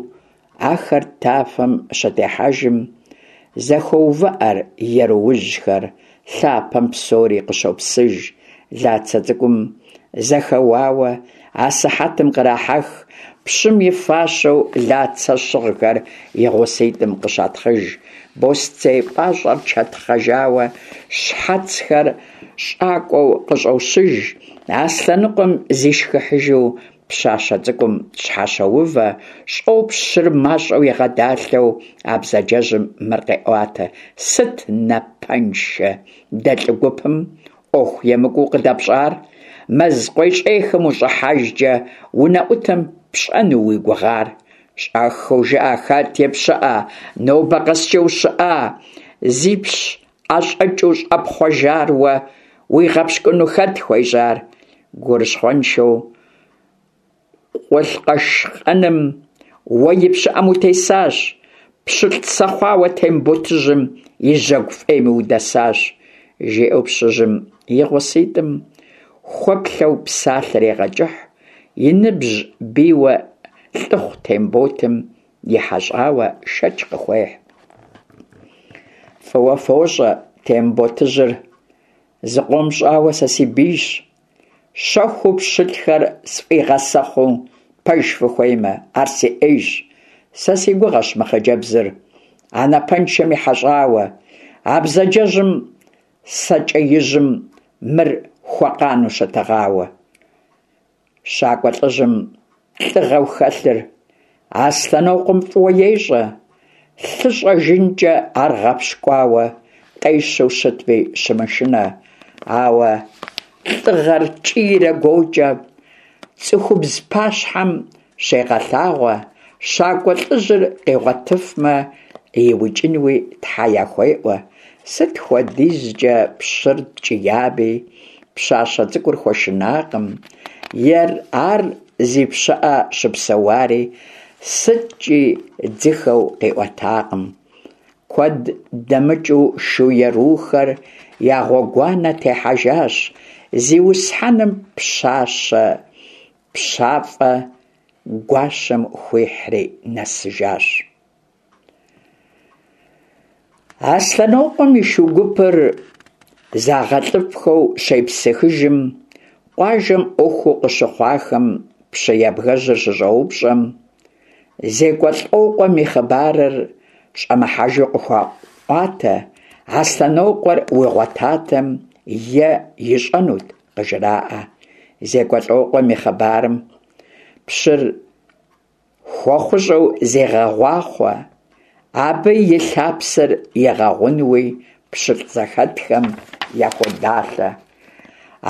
Ахэр тафэм щытехьэжым, зэхоувыӏэр еруужьхэр, лъапэм псори къыщопсыж. Лацэ цӏыкӏум зэхэуауэ асыхьэтым кърахьэх, пщым и фащэу Лацэ щыгъхэр и гъуситӏым къыщатхъыж. Босцей пӏащӏэр чэтхъэжауэ, щхьэцхэр щӏакӏуэу къыщӏощыж. Аслъэныкъуэм зишхыхьыжу Пщащэ цӏыкӏум щхьэщоувэ, щӏопщыр мащӏэу игъэдалъэу а бзаджэжьым мыр къеӏуатэ: Сыт, напэншэ, дэ лӏы гупым ӏуэху емыкӏуу къыдэпщӏар? Мэз къуейщӏейхэм ущӏыхьэжкӏэ унэӏутым пщӏэну уи гугъар? Щӏэхыу жыӏэ, хэт и пщыӏэ, нобэ къэскӏэ ущыӏа? Зипщ ӏэщӏэкӏыу щӏэпхъуэжар уэ уигъэпщкӏуну хэт хуежьар? Гурыщхъуэншэу къулъкъэшкъэным уэ и пщыӏэм утесащ, пщылӏ сэхъуауэ Темботыжьым и жьэгу фӏейми удэсащ, жиӏэу пщыжьым и гъуситӏым хуэплъэу псалъэр егъэкӏыхь, и ныбжь бийуэ лӏыхъу Темботым и хьэщӏауэ шэч къыхуехь. Фӏыуэ фощӏэ, Темботыжьыр зыкъом щӏауэ сэ си бийщ. Щэхуу пщылӏхэр сфӏигъэсэхъуу, пэж фыхуеймэ, ар си ӏейщ. Сэ си гугъэщ мы хъыджэбзыр а напэншэм и хьэщӏауэ, а бзаджэжьым сэкӏэижьым мыр хуэкъану щытыгъауэ. Щакӏуэ лӏыжьым лӏыгъэу хэлъыр Аслъэнокъуэм фӏыуэ ещӏэ, лъы щӏэжынкӏэ ар гъэпщкӏуауэ къещэу щытми щымышынэ, ауэ лӏыгъэр кӏийрэ гуокӏэ цӏыхубз пащхьэм щегъэлъагъуэ, щакӏуэ лӏыжьыр къигъуэтыфмэ, иукӏынуи тхьэ яхуеӏуэ. Сыт хуэдизкӏэ пщыр ткӏиями, пщащэ цӏыкӏур хуэшынакъым, ер ар зи пщыӏэ щыпсэуари. сыткӏи дзыхэу къиӏуэтакъым. Куэд дэмыкӏыу шу ерухэр я гъуэгуанэ техьэжащ, зиусхьэным пщащэ пщафӏэ гуащэм хуихьри нэсыжащ. Аслъэнокъуэм и шу гупыр загъэлӏыфӏхэу щепсыхыжым, къуажэм ӏуэхуу къыщыхъуахэм пщы ябгэжьыр щыщӏэупщӏэм, ЗекӀуэлӀокъуэм и хъыбарыр щӏэмыхьэжу къыхуаӏуатэ, Аслъэнокъуэр уигъуэтатэм е ищӏэнут, къыжраӏэ. ЗекӀуэлӀокъуэм и хъыбарым пщыр Хуэхъущӏэу зегъэгъуахъуэ, абы и лъапсэр игъэгъунуи пщылӏ зэхэтхэм яхуодалъэ.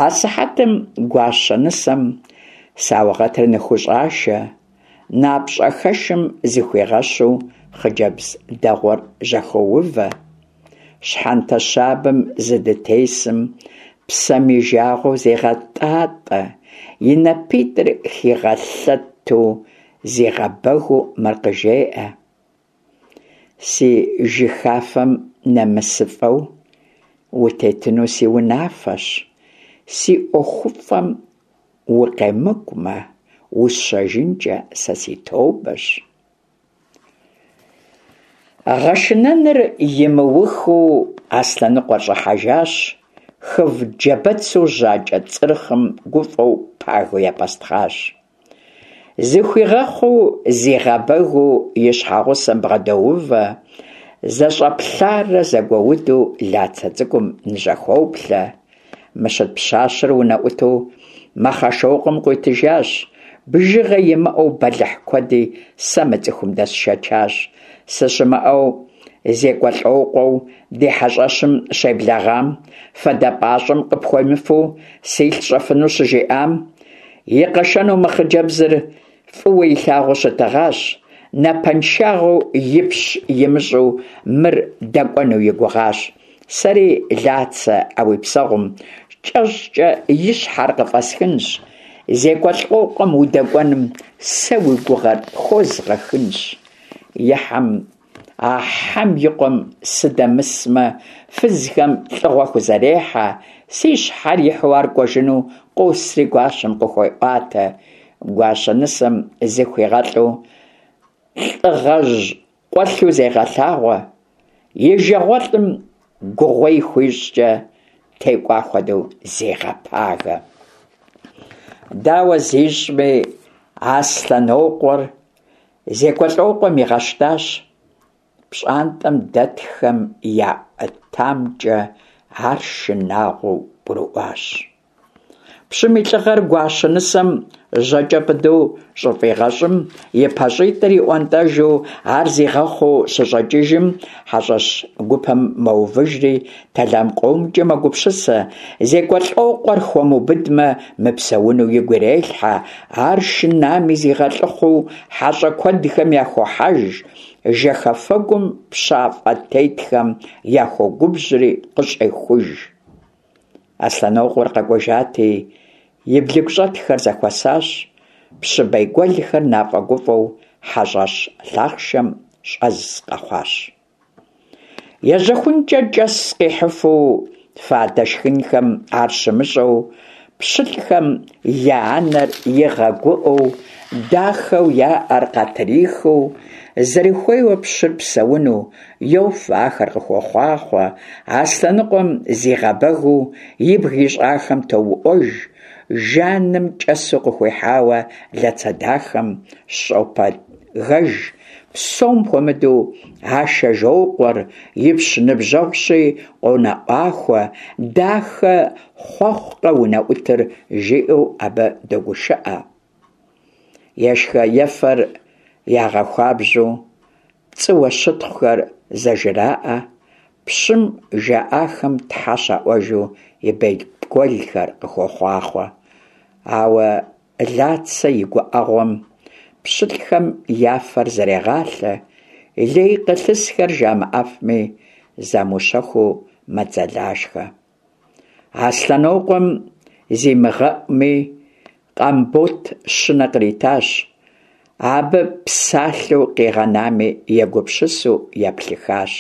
Асыхьэтым гуащэ нысэм саугъэтыр ныхущӏашэ, напщӏэхэшым зыхуигъэщу хъыджэбз дэгъуэр жьэхоувэ. Щхьэнтэ щабэм зыдытесым псэм и жагъуэу зегъэтӏатӏэ, и напитӏыр хигъэлъэту зигъэбэгыу мыр къыжеӏэ: Си жыхафэм нэмысыфӏэу утетыну си унафэщ, си ӏуэхуфӏэм укъемыкӏумэ, усщэжынкӏэ сэ си тобэщ. Гъэшынэныр имыухыу Аслъэныкъуэр щӏыхьэжащ, хыв джабэцу жьакӏэ цӏырхъым гуфӏэу пагэу епӏэстхъащ. Зыхуигъэхъуу, зигъэбэгыу и щхьэгъусэм бгъэдоувэ, зэщӏэплъарэ зэгуэуду Лацэ цӏыкӏум ныжьэхоплъэ. Мыщыт пщащэр унэӏуту Мэхъэшокъуэм къуитыжащ, бжыгъэ имыӏэу бэлыхь куэди сэ мы цӏыхум дэсшэчащ. Сыщымыӏэу ЗекӀуэлӀокъуэу ди хьэщӏэщым щеблэгъам, фадэ пӏащӏэм къыпхуемыфэу силъ щӏэфыну щыжиӏам, и къэшэну мы хъыджэбзыр фӏыуэ илъагъуу щытыгъащ, напэншагъэу ипщ имыщӏу мыр дэкӏуэну и гугъащ. Сэри, Лацэ, а уи псэгъум кӏэщӏкӏэ и щхьэр къыфӏэсхынщ, ЗекӀуэлӀокъуэм удэкӏуэным сэ уи гугъэр хозгъэхынщ. И хьэм, а хьэм и къуэм сыдэмысмэ, фызхэм лӏыгъуэ хузэрехьэ, си щхьэр ихьу ар кӏуэжыну къосри гуащэм къыхуеӏуатэ. Гуащэ нысэм зыхуигъэлӏу лӏыгъэжь къуэлъу зегъэлъагъуэ, и жагъуэлӏым гугъуей хуищӏкӏэ текӏуа хуэдэу зегъэпагэ. Дауэ зищӏми, Аслъэнокъуэр ЗекӀуэлӀокъуэм игъэщтащ, пщӏантӏэм дэтхэм яӏуэтамкӏэ ар шынагъуэу гурыӏуащ. Пщым и лӏыгъэр гуащэ нысэм жьэкӏэ быдэу щӏыфӏигъэщӏым, и пащӏитӏыр иӏуэнтӏэжу ар зигъэхъуу щыщӏэкӏыжым, хьэщӏэщ гупэм мэувыжри, тэлам къомкӏэ мэгупсысэ, ЗекӀуэлӀокъуэр хуэмыубыдмэ, мыпсэуну игу ирелъхьэ, ар шынами зигъэлӏыхъуу хьэщӏэ куэдхэм яхохьэж, жэхэфэгум пщафӏэ тетхэм яхуогубжьри къыщӏехуж. Аслъэнокъуэр къэкӏуэжати, и блыгущӏэтхэр зэхуэсащ, пщы бейгуэлхэр нафӏэгуфӏэу хьэщӏэщ лъахъшэм щӏэз къэхъуащ. Ежьэхункӏэ кӏэс къихьыфу, фадэ шхынхэм ар щымыщӏэу, пщылӏхэм я анэр игъэгуӏэу, дахэу яӏэр къатрихыу, зэрыхуейуэ пщыр псэуну, йофэ, ахэр къыхуохъуахъуэ, Аслъэныкъуэм зигъэбэгыу ибг ищӏахэм тоуӏуэж, жаным кӏэсу къыхуихьауэ Лацэ дахэм щӏопэгэж, псом хуэмыдэу Ашэжокъуэр ипщ ныбжьэгъущи къонэӏуахуэ, дахэ хъуэхъукъэ унэӏутыр жиӏэу абы догушыӏэ. Ешхэ-ефэр ягъэхуабжьу пцӏыуэ щытхъухэр зэжраӏэ, пщым жаӏахэм тхьэ щаӏуэжу и бейгуэлхэр къыхуохъуахъуэ. Ауэ Лацэ и гуӏэгъуэм пщылӏхэм я фэр зэрегъалъэ, лей къылъысхэр жамыӏэфми, замыущэхуу мэдзэлашхэ. Аслъэнокъуэм зимыгъэӏуми, Къамбот щынэ къритащ. Абы псалъэу къигъэнами егупсысу еплъыхащ.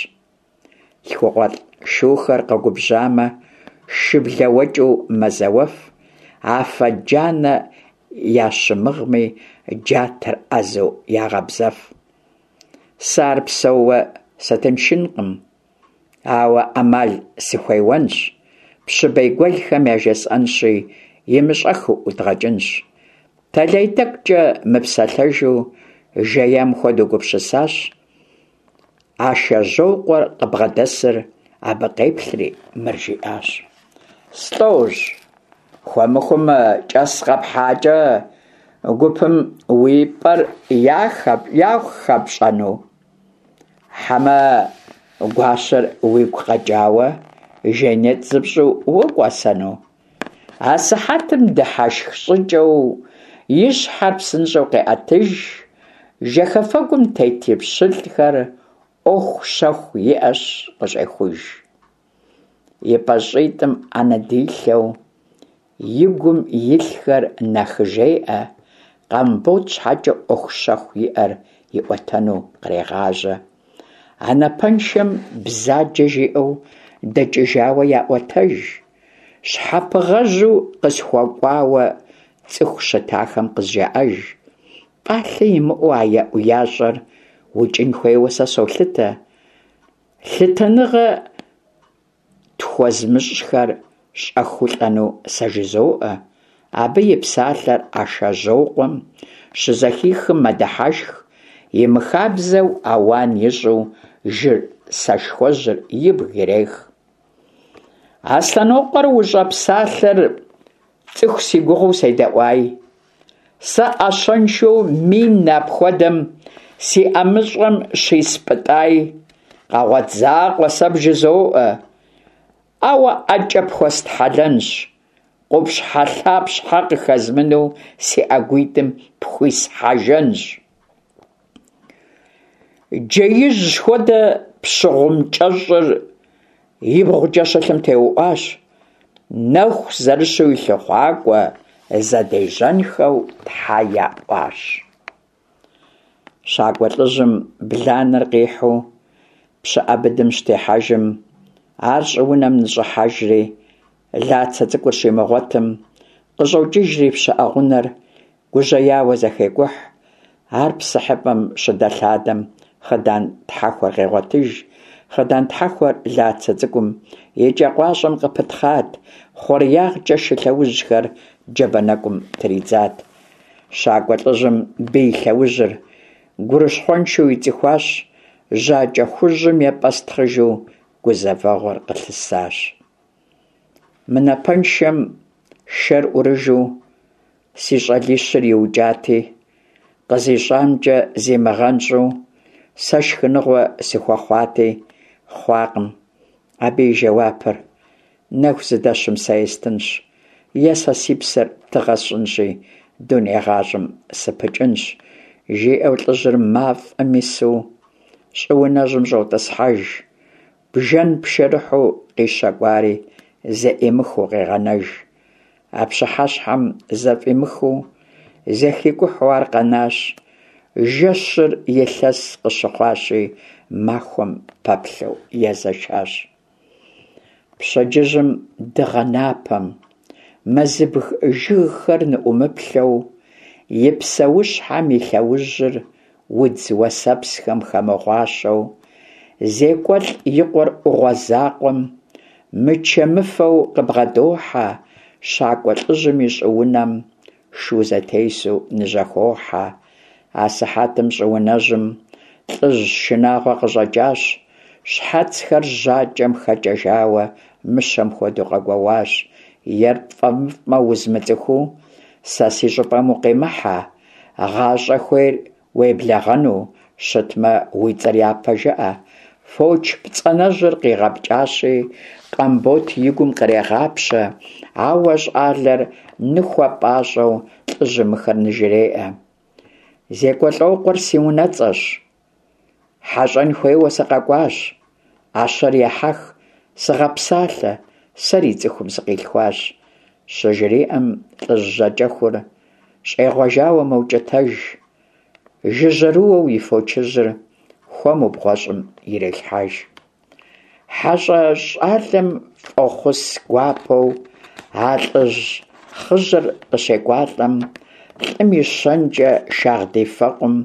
Лъхукъуэлӏ шухэр къэгубжьамэ, шыблэуэкӏыу мэзэуэф, афэ джанэ ящымыгъми, джатэр ӏэзэу ягъэбзэф. Сэ ар псэууэ сытыншынкъым, ауэ ӏэмал сыхуеуэнщ, пщы бейгуэлхэм яжесӏэнщи, имыщӏэхыу ӏудгъэкӏынщ. Тэлай тӏэкӏукӏэ мыпсэлъэжу жеям хуэдэу гупсысащ. Ашэжьокъуэр къыбгъэдэсыр абы къеплъри мыр жиӏащ: Слӏожь, хуэмыхум кӏэс къэпхьакӏэ гупым уи пӏэр яхэпщӏэну? Хьэмэ гуащэр уигу къэкӏауэ жейнетӏ зыпщӏу укӏуэсэну? Асыхьэтым дыхьэшх щӏыкӏэу и щхьэр псынщӏэу къеӏэтыж, жэхэфэгум тет и пщылӏхэр ӏуэху щэху иӏэщ къыщӏехуж. И пащӏитӏым ӏэнэ дилъэу, и гум илъхэр нахыжеӏэ, Къамбот щхьэкӏэ ӏуэху щэху иӏэр иӏуэтэну кърегъажьэ. А напэншэм бзаджэ жиӏэу дэкӏыжауэ яӏуэтэж. Щхьэпыгъэжьу къысхуэкӏуауэ цӏыху щытахэм къызжаӏэж. Пӏалъэ имыӏэу а еӏуящӏэр укӏын хуейуэ сэ солъытэ. Лъытэныгъэ тхуэзмыщӏхэр щӏэхыу лӏэну сэ жызоӏэ. Абы и псалъэр Ашэжьокъуэм щызэхихым мэдыхьэшх, имыхабзэу ауан ищӏу жыр сэшхуэжьыр ибг ирех. Аслъэнокъуэр ущӏэпсалъэр цӏыху си гугъэу седэӏуай. Сэ ӏэщэншэу мин апхуэдэм си ӏэмыщӏэм щиспӏытӏай. Къэгъуэт закъуэ сэ бжызоӏэ, ауэ ӏэкӏэ пхуэстхьэлэнщ, къупщхьэлъапщхьэ къыхэзмыну си ӏэгуитӏым пхуисхьэжэнщ. Джеижь хуэдэ пщы гъум кӏэщӏыр ибгъукӏэ щылъым теуӏуащ, нэху зэрыщу и лъыхъуакӏуэ зэдежьэнхэу тхьэ яӏуащ. Щакӏуэ лӏыжьым бланэр къихьу пщыӏэ быдэм щытехьэжым, ар щӏыунэм ныщӏыхьэжри, Лацэ цӏыкӏур щимыгъуэтым, къыщӏокӏыжри пщыӏэ гъунэр гужьеяуэ зэхекӏухь. Ар псыхьыпӏэм щыдэлъадэм хъыдан тхьэхуэр къегъуэтыж. Хъыдан тхьэхуэр Лацэ цӏыкӏум и кӏэ къуащӏэм къыпытхъат, хъуреягъкӏэ шы лъэужьхэр джабэ нэкӏум тридзат. Щакӏуэ лӏыжьым бий лъэужьыр гурыщхъуэншэу ицӏыхуащ, жьакӏэ хужьым епӏэстхъыжу гузэвэгъуэр къылъысащ. Мы напэншэм шэр ӏурыжу си щӏалищыр иукӏати, къызищӏамкӏэ зимыгъэнщӏу сэ шхыныгъуэ сыхуэхъуати, хъуакъым. Абы и жэуапыр, нэху зыдэщым сэ естынщ, е сэ си псэр тыгъэ сщӏынщи, дуней гъащӏэм сыпыкӏынщ, жиӏэу лӏыжьыр мафӏэм ису щӏыунэжьым щӏотӏысхьэж. Бжэн пшэрыхьу къищэкӏуари зэӏимыхыу къегъэнэж. А пщыхьэщхьэм зэфӏимыхыу, зэхикӏухьу ар къэнащ. Жэщыр илъэс къыщыхъуащи, махуэм пэплъэу езэшащ. Пщэдджыжьым дыгъэ напэм, мэзыбг жыгхэр ныӏумыплъэу, и псэущхьэм и лъэужьыр удз уэсэпсхэм хэмыгъуащэу, Зекӏуэлӏ и къуэр ӏугъуэ закъуэм мычэмыфэу къыбгъэдохьэ, щакӏуэ лӏыжьым и щӏыунэм шу зэтесу ныжьэхохьэ. Асыхьэтым щӏыунэжьым лӏыжь шынагъуэ къыщӏэкӏащ, щхьэцхэр жьакӏэм хэкӏэжауэ мыщэм хуэдэу къэгуэуащ. Ер пфӏэмыфӏмэ узмыцӏыхуу сэ си щӏыпӏэм укъимыхьэ, Гъащӏэ хуейр уеблэгъэну щытмэ, уи цӏэр япэ жыӏэ. Фоч пцӏанэжьыр къигъэпкӏащи, Къамбот и гум кърегъапщэ, ауэ щӏалэр ныхуэпӏащӏэу лӏыжьым мыхэр ныжреӏэ. Зекӏуэлӏокъуэр си унэцӏэщ. Хьэщӏэн хуейуэ сыкъэкӏуащ. ӏэщэр ехьэх, сыгъэпсалъэ, сэри цӏыхум сыкъилъхуащ, щыжриӏэм лӏыжь жьакӏэхур щӏегъуэжауэ мэукӏытэж. Жыжьэрыуэу и фочыжьыр хуэму бгъуэщӏым ирелъхьэж. Хьэщӏэ щӏалэм фӏохъус гуапэу а лӏыжь хъыжьэр къыщекӏуалӏэм, лӏым и щэнкӏэ шагъдий фэкъум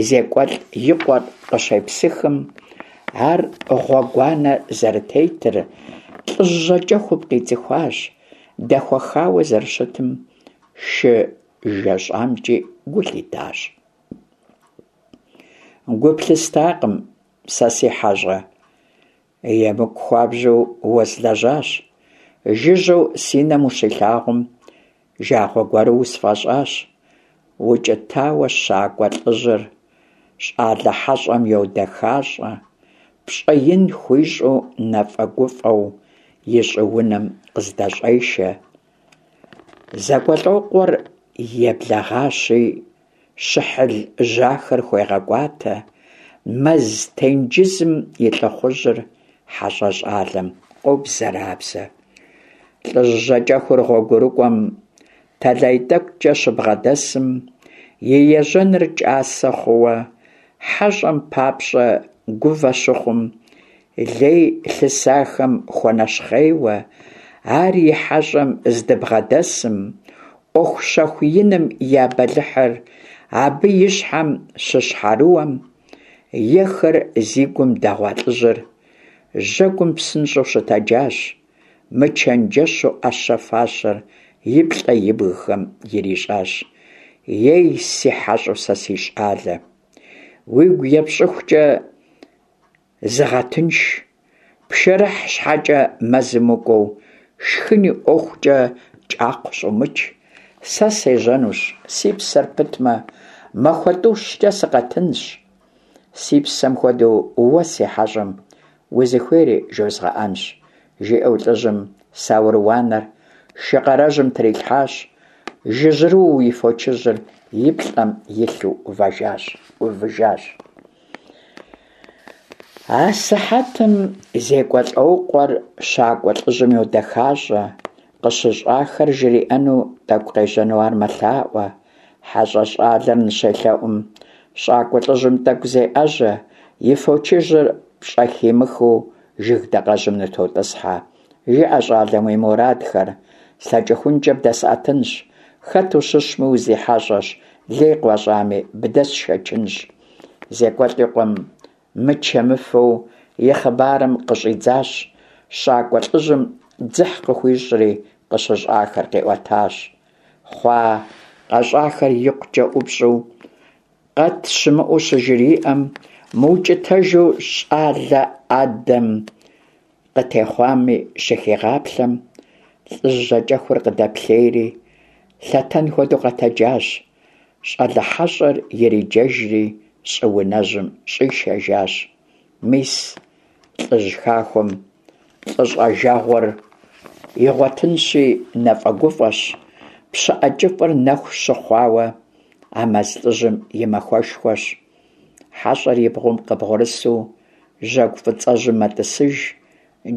Зекӏуэлӏ и къуэр къыщепсыхым, ар гъуэгуанэ зэрытетыр лӏыжь жьакӏэхум къицӏыхуащ, дэхуэхауэ зэрыщытым шы жэщӏамкӏи гу лъитащ. Гу плъыстакъым сэ си хьэщӏэ, емыкӏу хуабжьу уэзлэжьащ. Жыжьэу си нэм ущилъагъум, жагъуэ гуэру усфӏэщӏащ. Укӏытауэ щакӏуэ лӏыжьыр щӏалэ хьэщӏэм йодэхащӏэ, пщӏэ ин хуищӏу нэфӏэгуфӏэу и щӏыунэм къыздэщӏешэ. Зекӏуэлӏокъуэр еблэгъащи, щыхьыл жьахэр хуегъэкӏуатэ, мэз тенджызым и лӏыхъужьыр хьэщӏэ щӏалэм къобзэрабзэ. Лӏыжь жьакӏэхур гъуэгурыкӏуэм тэлай тӏэкӏукӏэ щыбгъэдэсым, и ежьэныр кӏасэ хъууэ, хьэщӏэм папщӏэ гувэ щыхъум, лей лъысахэм хуэнэщхъейуэ, ар и хьэщӏэм здыбгъэдэсым, ӏуэху щэху иным я бэлыхьыр абы и щхьэм щыщхьэрыуэм, ехэр зи гум дэгъуа лӏыжьыр жьэгум псынщӏэу щытэджащ, мычэнджэщу ӏэщэ-фащэр и плӏэ ибгхэм ирищӏащ. Ей, си хьэщӏэу сэ си щӏалэ! Уигу епщӏыхукӏэ зыгъэтынш, пшэрыхь щхьэкӏэ мэзым укӏуэу, шхын и ӏуэхукӏэ кӏакхъу щӏумыч. Сэ сежьэнущ, си псэр пытмэ, махуэ тӏущкӏэ сыкъэтынщ. Си псэм хуэдэу уэ си хьэщӏэм узыхуейри жозгъэӏэнщ, жиӏэу лӏыжьым саур уанэр шы къарэжьым трилъхьащ, жыжьэрыуэу и фочыжьыр и плӏэм илъу ӏувэжащ, ӏувыжащ. Асыхьэтым Зекӏуэлӏокъуэр щакӏуэ лӏыжьым йодэхащӏэ, къыщыщӏахэр жриӏэну тӏэкӏу къежьэну ар мэлъаӏуэ. Хьэщӏэ щӏалэр ныщелъэӏум, щӏакӏуэ лӏыжьым тӏэкӏу зеӏэжьэ, и фочыжьыр пщӏэхимыхыу жыг дакъэжьым нытотӏысхьэ. Жыӏэ, щӏалэм, уи мурадхэр, слъэкӏыхункӏэ бдэсӏэтынщ, хэт ущыщми узихьэщӏэщ, лей къыуащӏами, бдэсшэчынщ. Зекӏуэлӏ и къуэм мычэмыфэу и хъыбарым къыщӏидзащ, щакӏуэ лӏыжьым дзыхь къыхуищӏри, къыщыщӏахэр къиӏуэтащ. Хъуа къэщӏахэр икъукӏэ ӏупщӏу, къэт щымыӏэу щыжриӏэм, мыукӏытэжу щӏалэ адэм къытехъуами щыхигъаплъэм, лӏыжь жьакӏэхур къыдэплъейри, лъэтэн хуэдэу къэтэджащ, щӏалэ хьэщӏэр ириджэжри щӏыунэжьым щӏишэжащ. Мис лӏыжь хахуэм лӏыщӏэжэгъуэр игъуэтынщи, нэфӏэгуфӏэщ, пщыӏэ кӏыфӏыр нэху щыхъуауэ а мэз лӏыжьым и махуэшхуэщ. Хьэщӏэр и бгъум къыбгъурысу жьэгу фӏыцӏэжьым мэтӏысыж,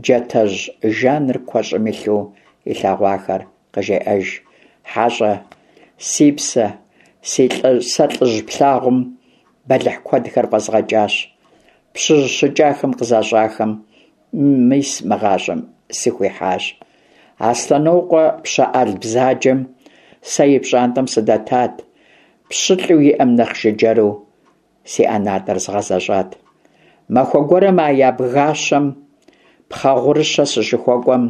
джатэжь жаныр куэщӏым илъу илъэгъуахэр къыжеӏэж. Хьэщӏэ, си псэ, си лӏы, сэ лӏыжь плъагъум бэлыхь куэдхэр фӏэзгъэкӏащ. Пщыжь щыкӏахэм къызащӏахэм мис мы гъащӏэм сыхуихьащ. Аслъэнокъуэ пщыӏэл бзаджэм сэ и пщӏантӏэм сыдэтат, пщылӏу иӏэм нэхъ жыджэру си ӏэнатӏэр згъэзэщӏат. Махуэ гуэрым а ябгащэм пхъэгъурыщэ сыщыхуэкӏуэм,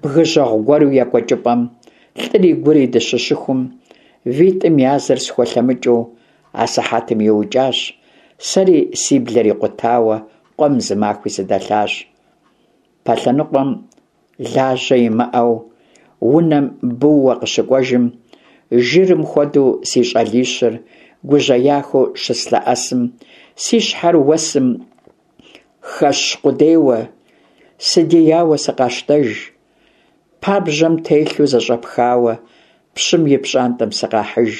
бгы жьэгъу гуэру екӏуэкӏыпӏэм лӏыри гури дыщыщыхум, витӏым я зыр схуэлъэмыкӏыу асыхьэтым иукӏащ, сэри си блэр икъутауэ къуэм зы махуи сыдэлъащ. Пэлъэныкъуэм лажьэ имыӏэу унэм бууэ къыщыкӏуэжым, жырым хуэдэу си щӏалищыр гужьеяхэу щыслъэӏэсым, си щхьэр уэсым хэщ къудейуэ, сыдияуэ сыкъащтэж. Пабжьэм телъу зэщӏэпхауэ пщым и пщӏантӏэм сыкъахьыж.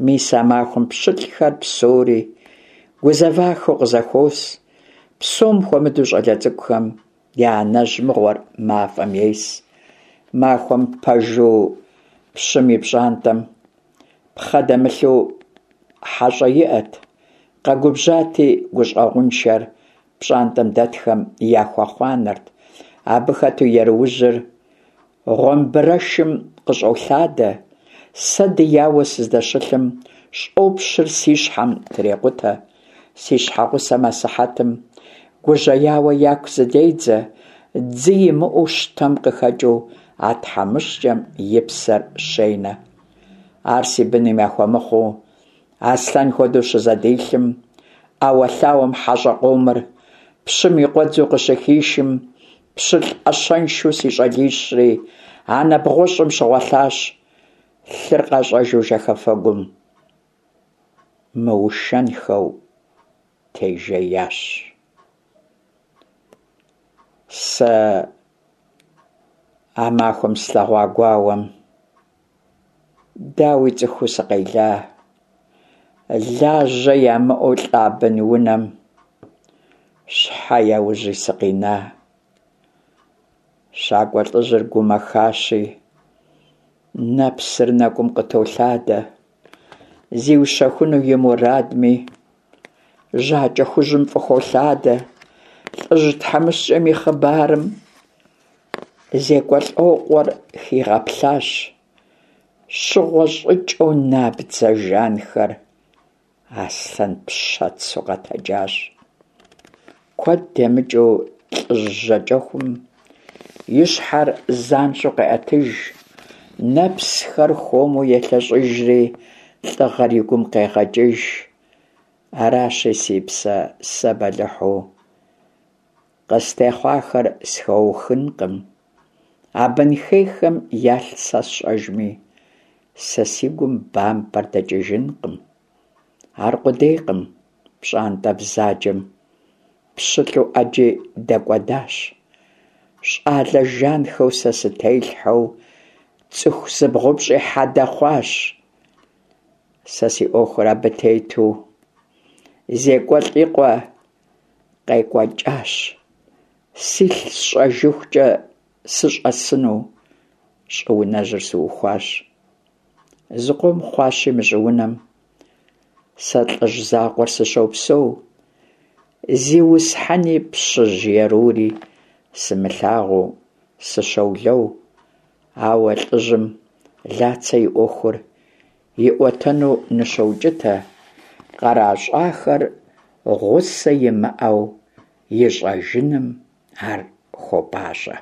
Мис а махуэм пщылӏхэр псори гузэвахэу къызэхуос, псом хуэмыдэу щӏалэ цӏыкӏухэм я анэжь мыгъуэр мафӏэм ес. Махуэм пэжу пщым и пщӏантӏэм пхъэ дэмылъу. хьэщӏэ иӏэт. Къэгубжьати, гущӏэгъуншэр пщӏантӏэм дэтхэм яхуэхъуанэрт. Абы хэту еруужьыр гъуэмбырэшым къыщӏолъадэ. Сэ дияуэ сыздэщылъым щӏопщыр си щхьэм трекъутэ. Си щхьэгъусэм асыхьэтым гужьеяуэ яку зыдедзэ, дзы имыӏэу щтэм къыхэкӏыу а тхьэмыщкӏэм и псэр щенэ. Ар си быным яхуэмыхъуу, аслъэн хуэдэу щызэдилъым, ӏэуэлъауэм хьэщӏэ къомыр пщым и къуэдзу къыщыхишым, пщылӏ ӏэщэншэу си щӏалищри анэ бгъущӏым щыгъуэлъащ, лъыр къащӏэжу жэхэфэгум мыушэнхэу тежеящ. Сэ а махуэм слъэгъуа гуауэм дауи цӏыхуу сыкъела, лажьэ ямыӏэу лӏа бын-унэм щхьэ яужьи сыкъина? Щакӏуэ лӏыжьыр гумэхащи, нэпсыр нэкӏум къытолъадэ, зиущэхуну и мурадми, жьакӏэ хужьым фӏыхолъадэ. Лӏыжь тхьэмыщкӏэм и хъыбарым Зекӏуэлӏокъуэр хигъэплъащ, щыгъуэ щӏыкӏэу набдзэ жанхэр аслъэн пщэцу къэтэджащ. Куэд темыкӏыу лӏыжь жьакӏэхум и щхьэр занщӏэу къеӏэтыж, нэпсхэр хуэму елъэщӏыжри, лӏыгъэр и гум къегъэкӏыж. Аращи, си псэ, сэ бэлыхьу къыстехъуахэр схуэухынкъым. А бын хейхэм ялъ сэ сщӏэжми, сэ си гум бампӏэр дэкӏыжынкъым. Аркъудейкъым, пщӏантӏэ бзаджэм пщылӏу ӏэджи дэкӏуэдащ. Щӏалэ жанхэу сэ сытелъхьэу цӏыху зыбгъупщӏи хьэдэ хъуащ. Сэ си ӏуэхур абы тету Зекӏуэлӏ и къуэ къекӏуэкӏащ. Силъ сщӏэжыхукӏэ сыщӏэсыну щӏыунэжьыр сыухуащ. Зыкъом хъуащи мы щӏыунэм сэ лӏыжь закъуэр сыщопсэу, зиусхьэни пщыжь ерури сымылъагъуу сыщолэу, ауэ лӏыжьым Лацэ и ӏуэхур иӏуэтэну ныщоукӏытэ, къращӏахэр гъусэ имыӏэу ищӏэжыным ар хуопӏащӏэ.